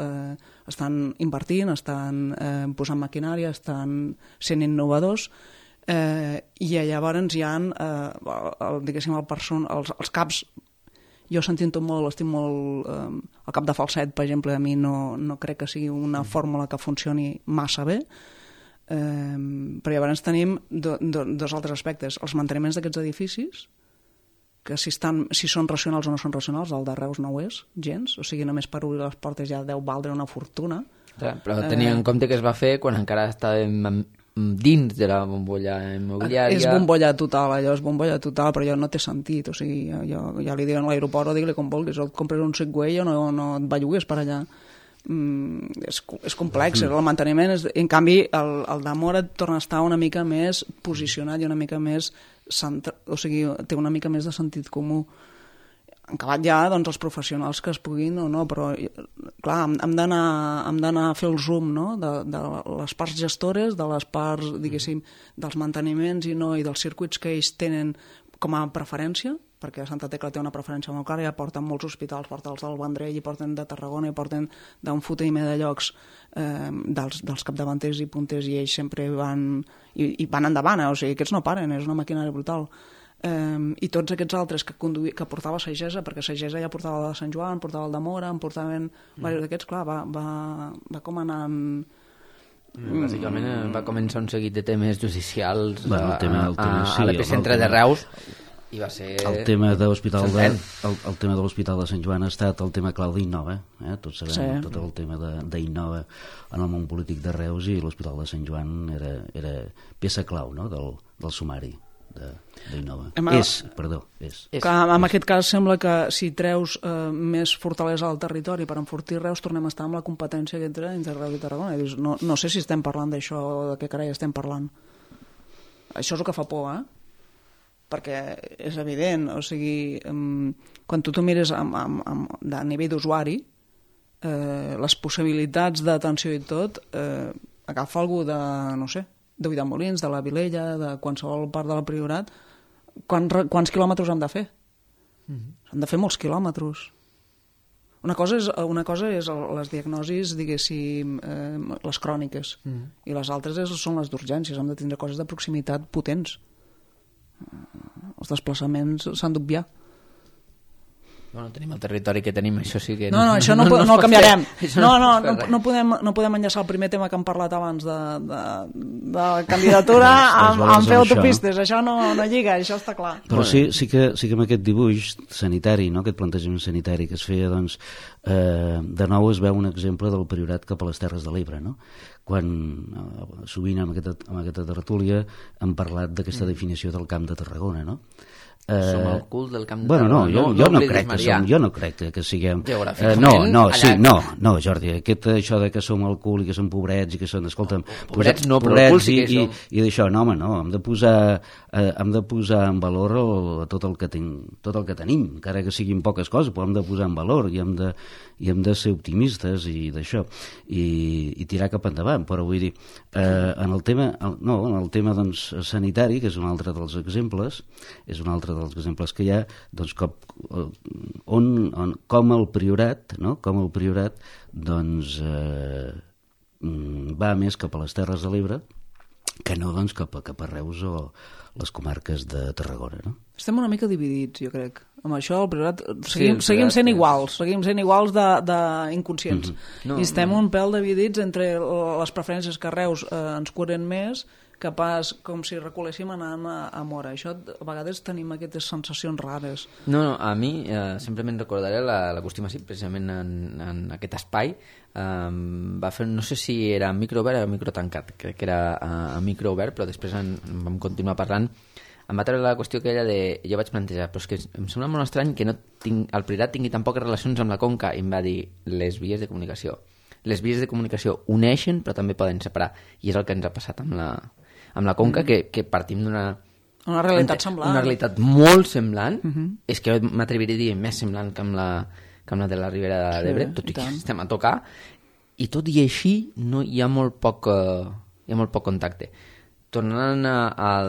estan invertint, estan posant maquinària, estan sent innovadors, i llavors hi ha diguéssim, els caps. Jo sentint-ho molt, estic molt... El cap de falset, per exemple, a mi no crec que sigui una fórmula que funcioni massa bé, però llavors tenim dos altres aspectes. Els manteniments d'aquests edificis, que si són racionals o no són racionals, el de Reus no ho és, gens, o sigui, només per obrir les portes ja deu valdre una fortuna. Però tenia en compte que es va fer quan encara estàvem dins de la bombolla immobiliària. És bombolla total, allò és bombolla total, però allò no té sentit, o sigui, ja li diuen a l'aeroport o digue-li com vulguis, o et compres un Segway o no et bellugues per allà. És complex, el manteniment en canvi el de Móra torna a estar una mica més posicionat i una mica més o sigui, té una mica més de sentit comú. Han acabat ja doncs, els professionals que es puguin o no, però clar, hem d'anar a fer el zoom, no? De les parts gestores, de les parts, diguéssim, dels manteniments i dels circuits que ells tenen com a preferència, perquè Santa Tecla té una preferència molt clara, ja porten molts hospitals, porten els del Vendrell, i porten de Tarragona, i porten d'un fotimer de llocs dels capdavanters i punters, i ells sempre van endavant, o sigui, aquests no paren, és una maquinària brutal. I tots aquests altres que portava Sagesa, perquè Sagesa ja portava el de Sant Joan, portava el de Móra, en portaven diversos d'aquests, clar, va com anant... Bàsicament va començar un seguit de temes judicials a l'epicentre de Reus, i va ser... El tema de l'Hospital de Sant Joan ha estat el tema clau d'Innova, tots sabem, tot el tema d'Innova en el món polític de Reus, i l'Hospital de Sant Joan era peça clau del sumari d'Innova. És. En aquest cas sembla que si treus més fortalesa al territori per enfortir Reus, tornem a estar amb la competència entre Reus i Tarragona. No sé si estem parlant d'això o de què carai estem parlant. Això és el que fa por, perquè és evident, o sigui, quan tu mires a nivell d'usuari, les possibilitats d'atenció i tot, agafa algú de, no sé, de Ulldemolins, de la Vilella, de qualsevol part del Priorat, quants quilòmetres han de fer? Han de fer molts quilòmetres. Una cosa és les diagnosis, diguéssim, les cròniques, i les altres són les d'urgències. Hem de tindre coses de proximitat potents. Els desplaçaments s'han d'obviar. Bueno, tenim el territori que tenim, això sí que... No, això no ho canviarem. No podem enllaçar el primer tema que hem parlat abans de candidatura amb fer autopistes. Això no lliga, això està clar. Però sí que amb aquest dibuix sanitari, no? Aquest plantejament sanitari que es feia, doncs, de nou es veu un exemple del Priorat cap a les Terres de l'Ebre, no? Quan sovint amb aquesta tertúlia hem parlat d'aquesta definició del Camp de Tarragona, no? Som el cul del Camp de Tarragona. Jo no crec que siguem... No, Jordi, això de que som el cul i que som pobrets i que són... Escolta'm, pobrets no, però el cul sí que som. I d'això, no, home, no, hem de posar en valor tot el que tenim, encara que siguin poques coses, però hem de posar en valor i hem de ser optimistes i d'això, i tirar cap endavant. Però vull dir, en el tema doncs, sanitari, que és un altre dels exemples, que hi ha, doncs, com el Priorat, no? Com el Priorat doncs, va més cap a les Terres de l'Ebre que no, doncs, cap a Reus o les comarques de Tarragona, no? Estem una mica dividits, jo crec. Amb això, el Priorat, seguim sent iguals d'inconscients. I estem un pèl dividits entre les preferències que a Reus ens curen més, que pas com si recoléssim anant a Móra. Això, a vegades tenim aquestes sensacions rares. No, a mi sempre me'n recordaré la qüestió massiva, precisament en aquest espai. Va fer, no sé si era microobert o microtancat, crec que era a microobert, però després vam continuar parlant. Em va treure la qüestió aquella de... Jo vaig plantejar, però és que em sembla molt estrany que el Priorat tingui tan poques relacions amb la Conca, i em va dir les vies de comunicació. Les vies de comunicació uneixen, però també poden separar, i és el que ens ha passat amb la Conca, que partim d'una... Una realitat semblant. Una realitat molt semblant, és que m'atreviria a dir més semblant que amb la de la Ribera d'Ebre, tot i que estem a tocar, i tot i així hi ha molt poc contacte. Tornant a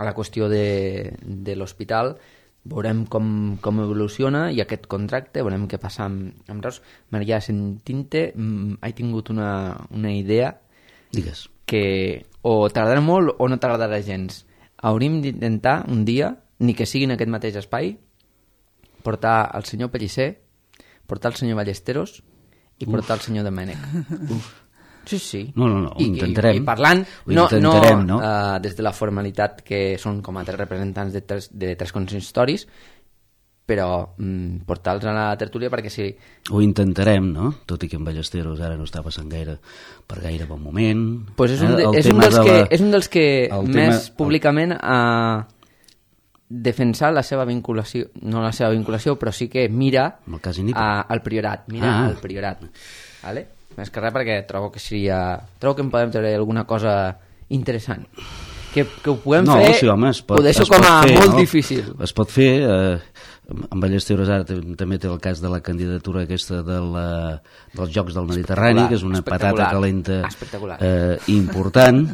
la qüestió de l'hospital, veurem com evoluciona i aquest contracte, veurem què passa amb Reus. Maria, sentint-te, he tingut una idea. Digues. Que o tardarà molt o no tardarà gens. Hauríem d'intentar un dia, ni que sigui en aquest mateix espai, portar el senyor Pellicer, portar el senyor Ballesteros i portar el senyor Domènech. Sí. No, ho intentarem. I parlant, no des de la formalitat que són com a tres representants de tres consistoris, però portar-los a la tertúlia perquè sí. Ho intentarem, no? Tot i que en Ballesteros ara no està passant per gaire bon moment. Pues és un dels que més públicament ha defensat la seva vinculació, no la seva vinculació, però sí que mira al Priorat. Al Priorat. Vale? Més que res perquè trobo que em podem treure alguna cosa interessant. Que ho puguem fer, sí, home, ho deixo com a molt difícil. Es pot fer, en Ballesteros ara també té el cas de la candidatura aquesta dels Jocs del Mediterrani, que és una patata calenta important.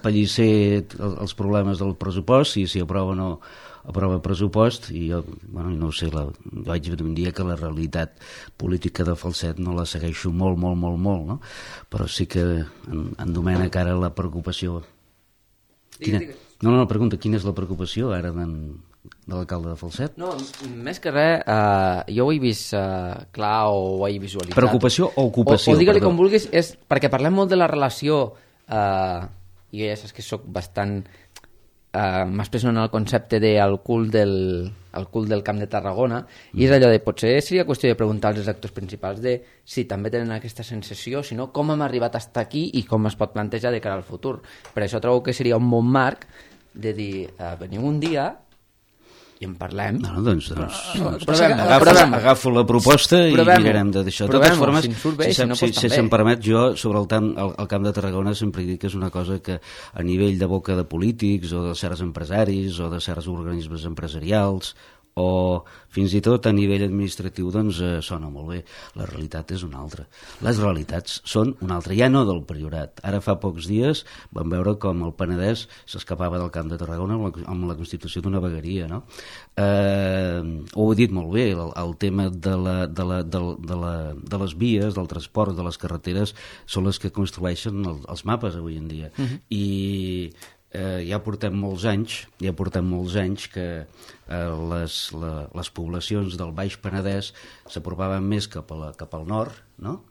Pellicer, els problemes del pressupost, si aprova o no aprova pressupost, i jo no ho sé, vaig dir un dia que la realitat política de Falset no la segueixo molt, no? Però sí que en Domènech ara la preocupació... Pregunta, quina és la preocupació ara de l'alcalde de Falset? No, més que res, jo ho he vist clar o ho he visualitzat. Preocupació o ocupació? O digue-li com vulguis, és perquè parlem molt de la relació, i ja saps que soc bastant... m'expresso en el concepte del cul del Camp de Tarragona, i és allò de, potser seria qüestió de preguntar als actors principals de si també tenen aquesta sensació, si no, com hem arribat a estar aquí i com es pot plantejar de cara al futur. Per això trobo que seria un bon marc de dir, veniu un dia i en parlem. Doncs agafo la proposta i mirarem de deixar. De totes formes, si se'm permet, jo sobre el Camp de Tarragona sempre dic que és una cosa que a nivell de boca de polítics o de certs empresaris o de certs organismes empresarials o fins i tot a nivell administratiu doncs sona molt bé. La realitat és una altra. Les realitats són una altra, ja no del Priorat. Ara fa pocs dies vam veure com el Penedès s'escapava del Camp de Tarragona amb la constitució d'una vegueria, no? Ho he dit molt bé, el tema de les vies, del transport, de les carreteres, són les que construeixen els mapes avui en dia. I ja portem molts anys que les poblacions del Baix Penedès s'apropaven més cap al nord, no?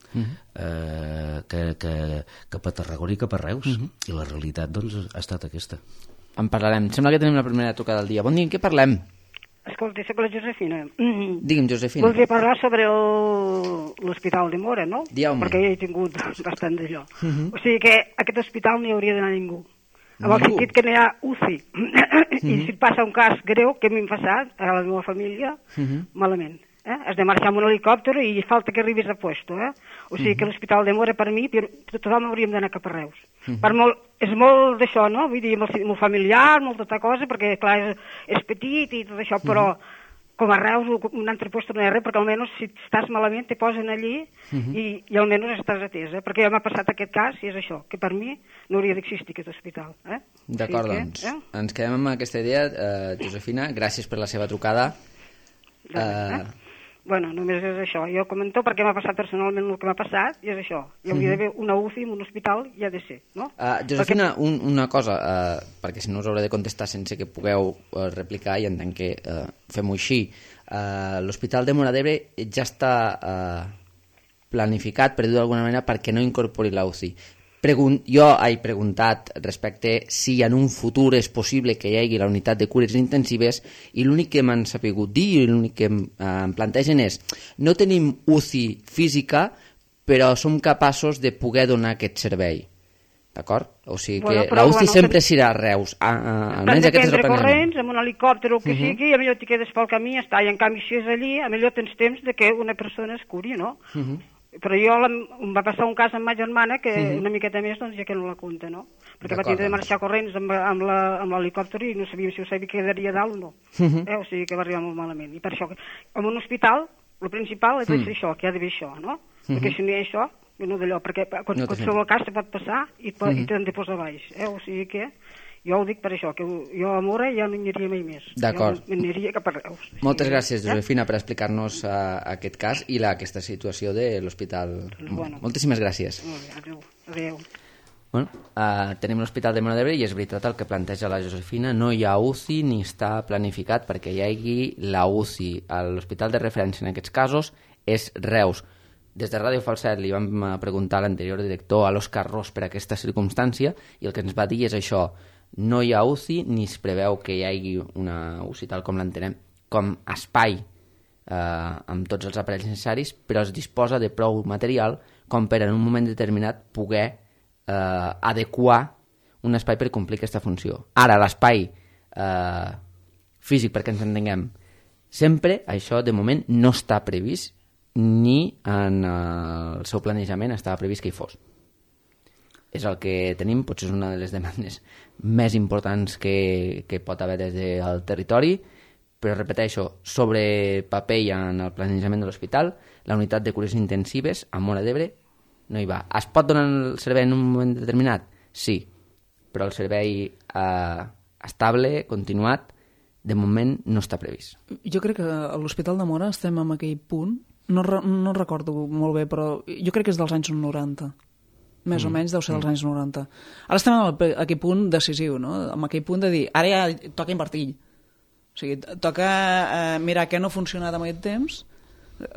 Cap a Tarragona i cap a Reus, i la realitat doncs ha estat aquesta. En parlarem. Sembla que tenim la primera trucada del dia. Bon dia, en què parlem? Escolta, soc la Josefina. Digui'm, Josefina. Voldria parlar sobre l'Hospital de Móra, no? Dieu-me. Perquè ja he tingut bastant d'allò. O sigui que a aquest hospital no hi hauria d'anar ningú. En el sentit que no hi ha UCI. I si et passa un cas greu, que a mi m'ha passat, a la meva família, malament. Has de marxar amb un helicòpter i falta que arribis a puesto. O sigui que l'Hospital de Móra, per mi, tothom hauríem d'anar cap a Reus. És molt d'això, no? Vull dir, molt familiar, molt tota cosa, perquè, clar, és petit i tot això, però com a Reus, un altre lloc no hi ha res, perquè almenys si estàs malament te posen allí i almenys estàs atesa. Perquè ja m'ha passat aquest cas i és això, que per mi no hauria d'existir aquest hospital. D'acord, doncs. Ens quedem amb aquesta idea. Josefina, gràcies per la seva trucada. Bueno, només és això. Jo comento perquè m'ha passat personalment el que m'ha passat i és això. Hi hauria d'haver una UCI en un hospital i ha de ser, no? Josefina, una cosa, perquè si no us hauré de contestar sense que pugueu replicar i entenc que fem-ho així. L'Hospital de Móra d'Ebre ja està planificat, per dir-ho d'alguna manera, perquè no incorpori la UCI. Jo he preguntat respecte si en un futur és possible que hi hagi la unitat de cures intensives i l'únic que m'han sapigut dir i l'únic que em plantegen és no tenim UCI física però som capaços de poder donar aquest servei. D'acord? O sigui que la UCI sempre serà a Reus. Almenys aquest és el plantejament. Corrents, amb un helicòpter o el que sigui, a millor t'hi quedes pel camí i està. I en canvi si és allí, a millor tens temps de que una persona es curi, no? Però em va passar un cas amb ma germana que una miqueta més doncs ja que no la compta, no? Perquè va tindre de marxar corrents amb l'helicòpter i no sabíem si ho sabia que quedaria dalt o no. O sigui que va arribar molt malament. I per això, en un hospital, el principal és això, que hi ha d'haver això, no? Perquè si no hi ha això, no d'allò, perquè a qualsevol cas te pot passar i t'han de posar baix. O sigui que jo ho dic per això, que jo a Móra ja no hi aniria mai més. D'acord. Jo m'aniria cap a Reus. Moltes gràcies, Josefina, per explicar-nos aquest cas i aquesta situació de l'hospital. Moltíssimes gràcies. Adéu. Bueno, tenim l'Hospital de Móra d'Ebre i és veritat el que planteja la Josefina, no hi ha UCI ni està planificat perquè hi hagi la UCI. L'hospital de referència en aquests casos és Reus. Des de Ràdio Falset li vam preguntar a l'anterior director, a l'Òscar Ros, per aquesta circumstància i el que ens va dir és això: no hi ha UCI ni es preveu que hi hagi una UCI tal com l'entenem, com espai amb tots els aparells necessaris, però es disposa de prou material com per en un moment determinat poder adequar un espai per complir aquesta funció. Ara, l'espai físic, perquè ens entenguem, sempre això de moment no està previst ni en el seu planejament estava previst que hi fos. És el que tenim, potser és una de les demandes més importants que pot haver des del territori, però repeteixo, sobre paper i en el planejament de l'hospital, la unitat de cures intensives a Móra d'Ebre no hi va. Es pot donar el servei en un moment determinat? Sí, però el servei estable, continuat, de moment no està previst. Jo crec que a l'Hospital de Móra estem en aquell punt, no recordo molt bé, però jo crec que és dels anys 90. Més o menys deu ser dels anys 90. Ara estem en aquell punt decisiu, no? En aquell punt de dir, ara ja toca invertir. O sigui, toca mirar què no ha funcionat en aquest temps.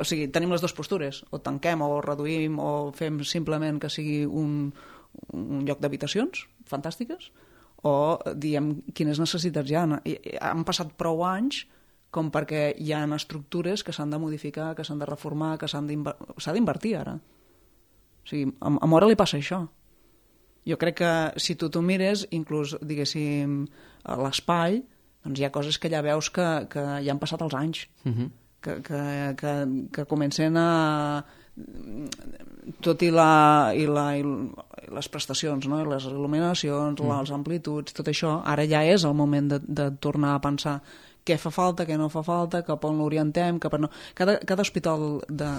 O sigui, tenim les dues postures. O tanquem, o reduïm, o fem simplement que sigui un lloc d'habitacions fantàstiques, o diem quines necessitats hi ha. Han passat prou anys com perquè hi ha estructures que s'han de modificar, que s'han de reformar, que s'ha d'invertir ara. O sigui, a Móra li passa això. Jo crec que si tu t'ho mires, inclús, diguéssim, a l'espai, doncs hi ha coses que ja veus que ja han passat els anys, que comencen a... tot i les prestacions, no? Les il·luminacions, les amplituds, tot això, ara ja és el moment de tornar a pensar què fa falta, què no fa falta, cap on l'orientem, cap on no. Cada hospital de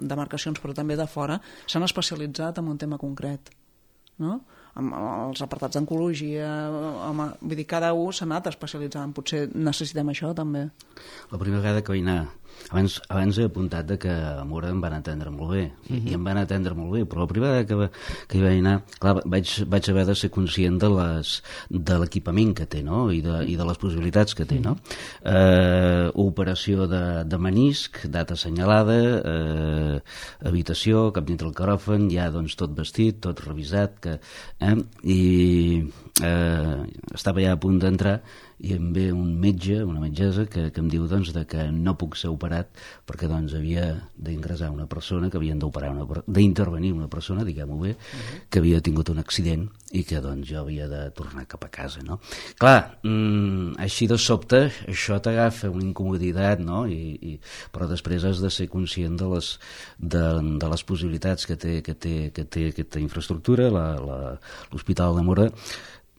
demarcacions, però també de fora, s'han especialitzat en un tema concret, no? Amb els apartats d'oncologia, vull dir, cada un s'ha anat especialitzant. Potser necessitem això, també. La primera vegada que vaig anar Abans he apuntat que a Mura em van atendre molt bé, i em van atendre molt bé, però la primera vegada que hi vaig anar, clar, vaig haver de ser conscient de l'equipament que té, no? I de les possibilitats que té, no? Operació de menisc, data assenyalada, habitació, cap dintre el quiròfan, ja doncs tot vestit, tot revisat, i estava ja a punt d'entrar i em ve un metge, una metgessa que em diu doncs que no puc ser operat perquè doncs havia d'ingressar una persona, que havien d'intervenir una persona, diguem-ho bé, que havia tingut un accident i que doncs jo havia de tornar cap a casa, no? Clar, així de sobte això t'agafa una incomoditat, no? Però després has de ser conscient de les possibilitats que té aquesta infraestructura, l'Hospital de Mura,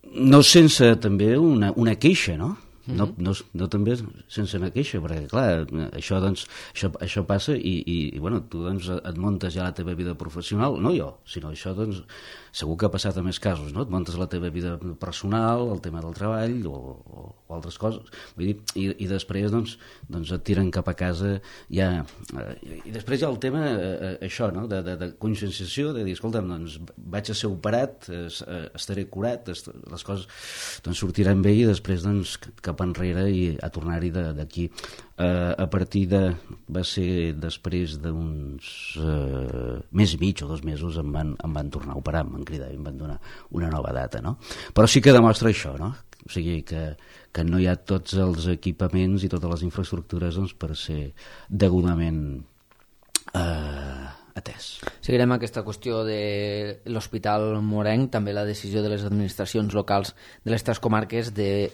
no sense també una queixa, no? No també sense una queixa, perquè clar, això passa i bueno, tu doncs et muntes ja la teva vida professional, no jo, sinó això doncs segur que ha passat a més casos, no? Et muntes la teva vida personal, el tema del treball o altres coses, vull dir, i després doncs et tiren cap a casa ja, i després hi ha el tema això, no? De conscienciació, de dir, escolta'm, doncs vaig a ser operat, estaré curat, les coses doncs sortiran bé i després doncs cap enrere i a tornar-hi d'aquí. A partir va ser després d'uns mes i mig o 2 mesos em van tornar a operar, em van cridar i em van donar una nova data, no? Però sí que demostra això, no? O sigui que no hi ha tots els equipaments i totes les infraestructures doncs, per ser degudament atès. Seguirem aquesta qüestió de l'Hospital Morenc, també la decisió de les administracions locals de les 3 comarques de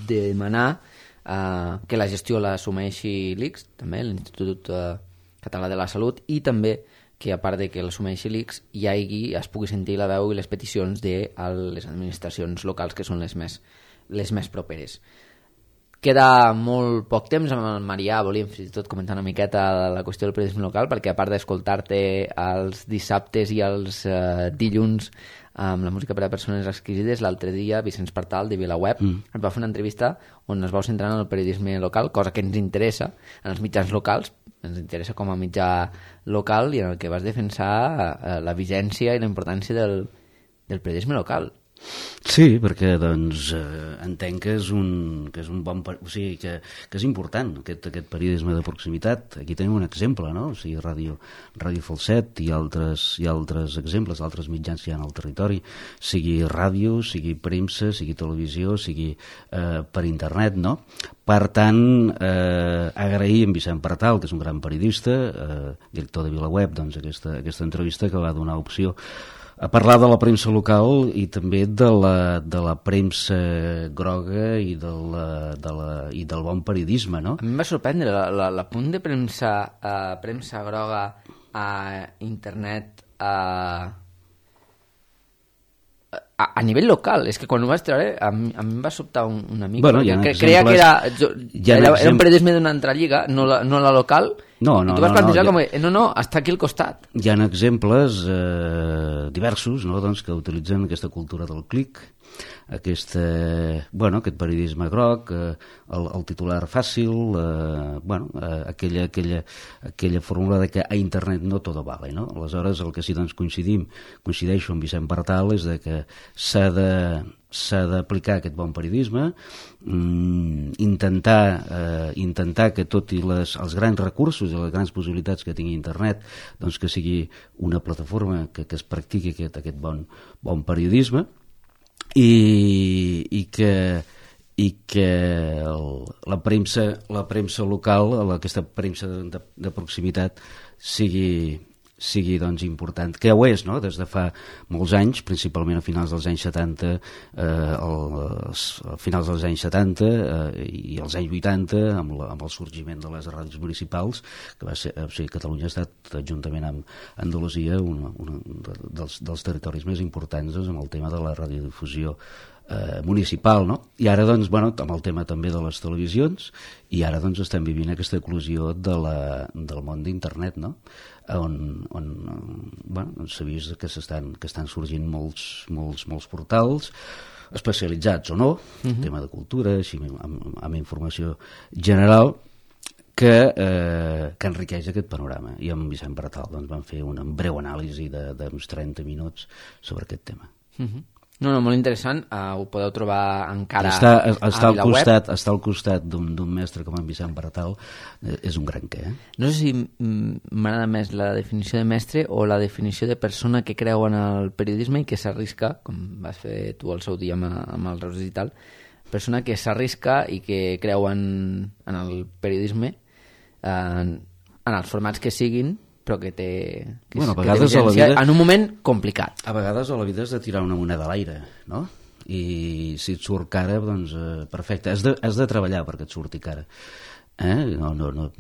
demanar que la gestió l'assumeixi l'ICS, també l'Institut Català de la Salut, i també que a part de que l'assumeixi l'ICS es pugui sentir la veu i les peticions de les administracions locals que són les més properes. Queda molt poc temps amb el Marià, volíem fins i tot comentar una miqueta la qüestió del periodisme local, perquè a part d'escoltar-te els dissabtes i els dilluns amb la música per a persones exquisides, l'altre dia Vicenç Partal de VilaWeb ens va fer una entrevista on es va centrar en el periodisme local, cosa que ens interessa en els mitjans locals, ens interessa com a mitjà local, i en el que vas defensar la vigència i la importància del periodisme local. Sí, perquè doncs entenc que és un bon, o sigui, que és important aquest periodisme de proximitat. Aquí tenim un exemple, no? O sigui, Ràdio Falset i altres exemples, altres mitjans que hi ha al territori, sigui ràdio, sigui premsa, sigui televisió, sigui per internet, no? Per tant, agrair a en Vicent Partal, que és un gran periodista, director de VilaWeb, doncs aquesta entrevista que va donar opció a parlar de la premsa local i també de la premsa groga i del bon periodisme, no? A mi em va sorprendre l'apunt de premsa groga a internet a nivell local. És que quan ho vas treure a mi em va sobtar una mica. Bueno, creia que era un periodisme d'una altra lliga, no la local. No, i tu vas plantejar com està aquí al costat. Hi ha exemples diversos, no? Doncs, que utilitzen aquesta cultura del clic, aquest periodisme groc, el titular fàcil, aquella fórmula de que a internet no tot vale, no? Aleshores, el que sí doncs coincideixo amb Vicent Partal és de que s'ha d'aplicar aquest bon periodisme, intentar que tot i els grans recursos i les grans possibilitats que tingui internet, doncs que sigui una plataforma que es practiqui aquest bon periodisme, i que la premsa local, aquesta premsa de proximitat sigui doncs important, que ho és, no? Des de fa molts anys, principalment a finals dels anys 70 i els anys 80 amb el sorgiment de les ràdios municipals, que va ser, o sigui, Catalunya ha estat, juntament amb Andalusia, un dels territoris més importants amb el tema de la radiodifusió municipal, no? I ara doncs, amb el tema també de les televisions, i ara doncs estem vivint aquesta eclosió del món d'internet, no? On s'ha vist que estan sorgint molts portals especialitzats o no, tema de cultura, així amb informació general, que enriqueix aquest panorama. I amb Vicent Bertal doncs, vam fer una breu anàlisi d'uns 30 minuts sobre aquest tema. No, molt interessant. Ho podeu trobar encara està a VilaWeb. Està al costat d'un mestre com en Vicent Bertal. És un gran què. No sé si m'agrada més la definició de mestre o la definició de persona que creu en el periodisme i que s'arrisca, com vas fer tu al seu dia amb el Reus Digital, persona que s'arrisca i que creu en el periodisme en els formats que siguin, però que té urgència en un moment complicat. A vegades a la vida has de tirar una moneda a l'aire, no? I si et surt cara, doncs perfecte. Has de treballar perquè et surti cara. No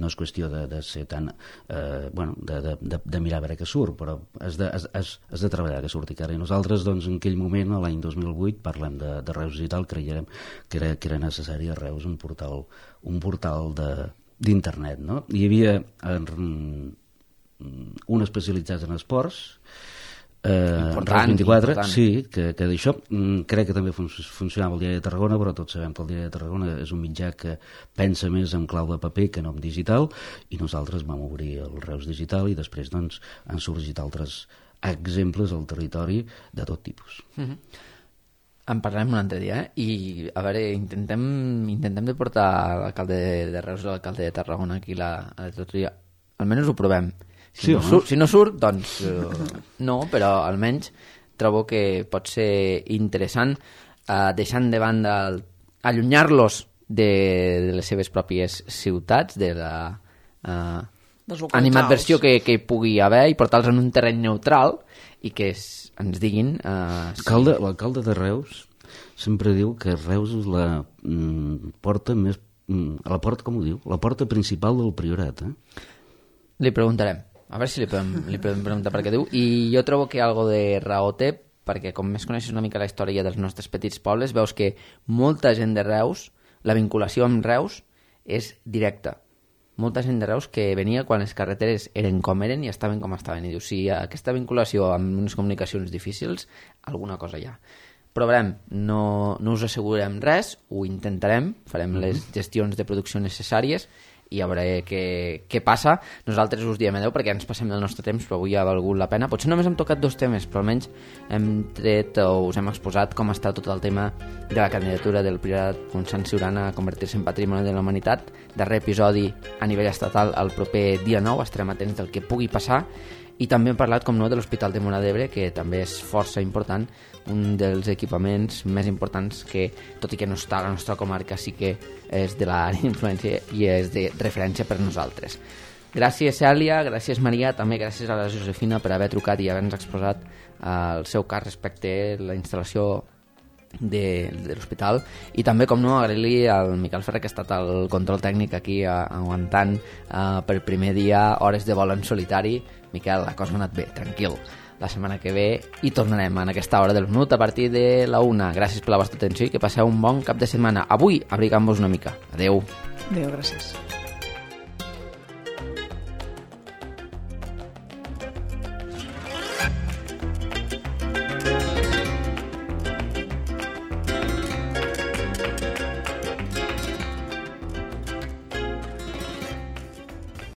és qüestió de ser tan... de mirar a veure què surt, però has de treballar que surti cara. I nosaltres, doncs, en aquell moment, l'any 2008, parlem de Reus Digital, creiem que era necessari a Reus un portal d'internet, no? Hi havia un especialitzat en esports, important, 24, important. Sí, que d'això crec que també funcionava el Diari de Tarragona, però tots sabem que el Diari de Tarragona és un mitjà que pensa més en clau de paper que no en digital, i nosaltres vam obrir el Reus Digital i després doncs, han sorgit altres exemples al territori de tot tipus. En parlarem un altre dia, I a veure, intentem de portar l'alcalde de Reus i l'alcalde de Tarragona aquí a la tertúlia. Almenys ho provem. Si no surt, doncs no, però almenys trobo que pot ser interessant deixant de banda allunyar-los de les seves pròpies ciutats, de la animadversió que hi pugui haver, i portar-los en un terreny neutral i que ens diguin... L'alcalde de Reus sempre diu que Reus és la porta més... la porta, com ho diu? La porta principal del Priorat, Li preguntarem. A veure si li podem preguntar per què diu. I jo trobo que algo de raó té, perquè com més coneixes una mica la història dels nostres petits pobles, veus que molta gent de Reus, la vinculació amb Reus és directa. Molta gent de Reus que venia quan les carreteres eren com eren i estaven com estaven. I dius, si aquesta vinculació amb unes comunicacions difícils, alguna cosa hi ha. Provarem, no us assegurem res, ho intentarem, farem les gestions de producció necessàries i a veure què passa. Nosaltres us diem adeu perquè ens passem del nostre temps, però avui ha valgut la pena. Potser només hem tocat 2 temes, però almenys hem tret o us hem exposat com està tot el tema de la candidatura del Priorat Sant Ciurana a convertir-se en Patrimoni de la Humanitat. Darrer episodi a nivell estatal el proper dia 9, estarem atents del que pugui passar. I també hem parlat, com no, de l'Hospital de Móra d'Ebre, que també és força important, un dels equipaments més importants que, tot i que no està a la nostra comarca, sí que és de l'àrea d'influència i és de referència per nosaltres. Gràcies, Cèlia, gràcies, Maria, també gràcies a la Josefina per haver trucat i haver-nos exposat el seu cas respecte a la instal·lació de l'hospital, i també, com no, agrair-li al Miquel Ferrer, que ha estat el control tècnic aquí aguantant per primer dia hores de vol en solitari. Miquel, la cosa ha anat bé, tranquil. La setmana que ve hi tornarem en aquesta hora del minut a partir de la 1. Gràcies per la vostra atenció i que passeu un bon cap de setmana. Avui abrigant-vos una mica. Adeu. Adeu, gràcies.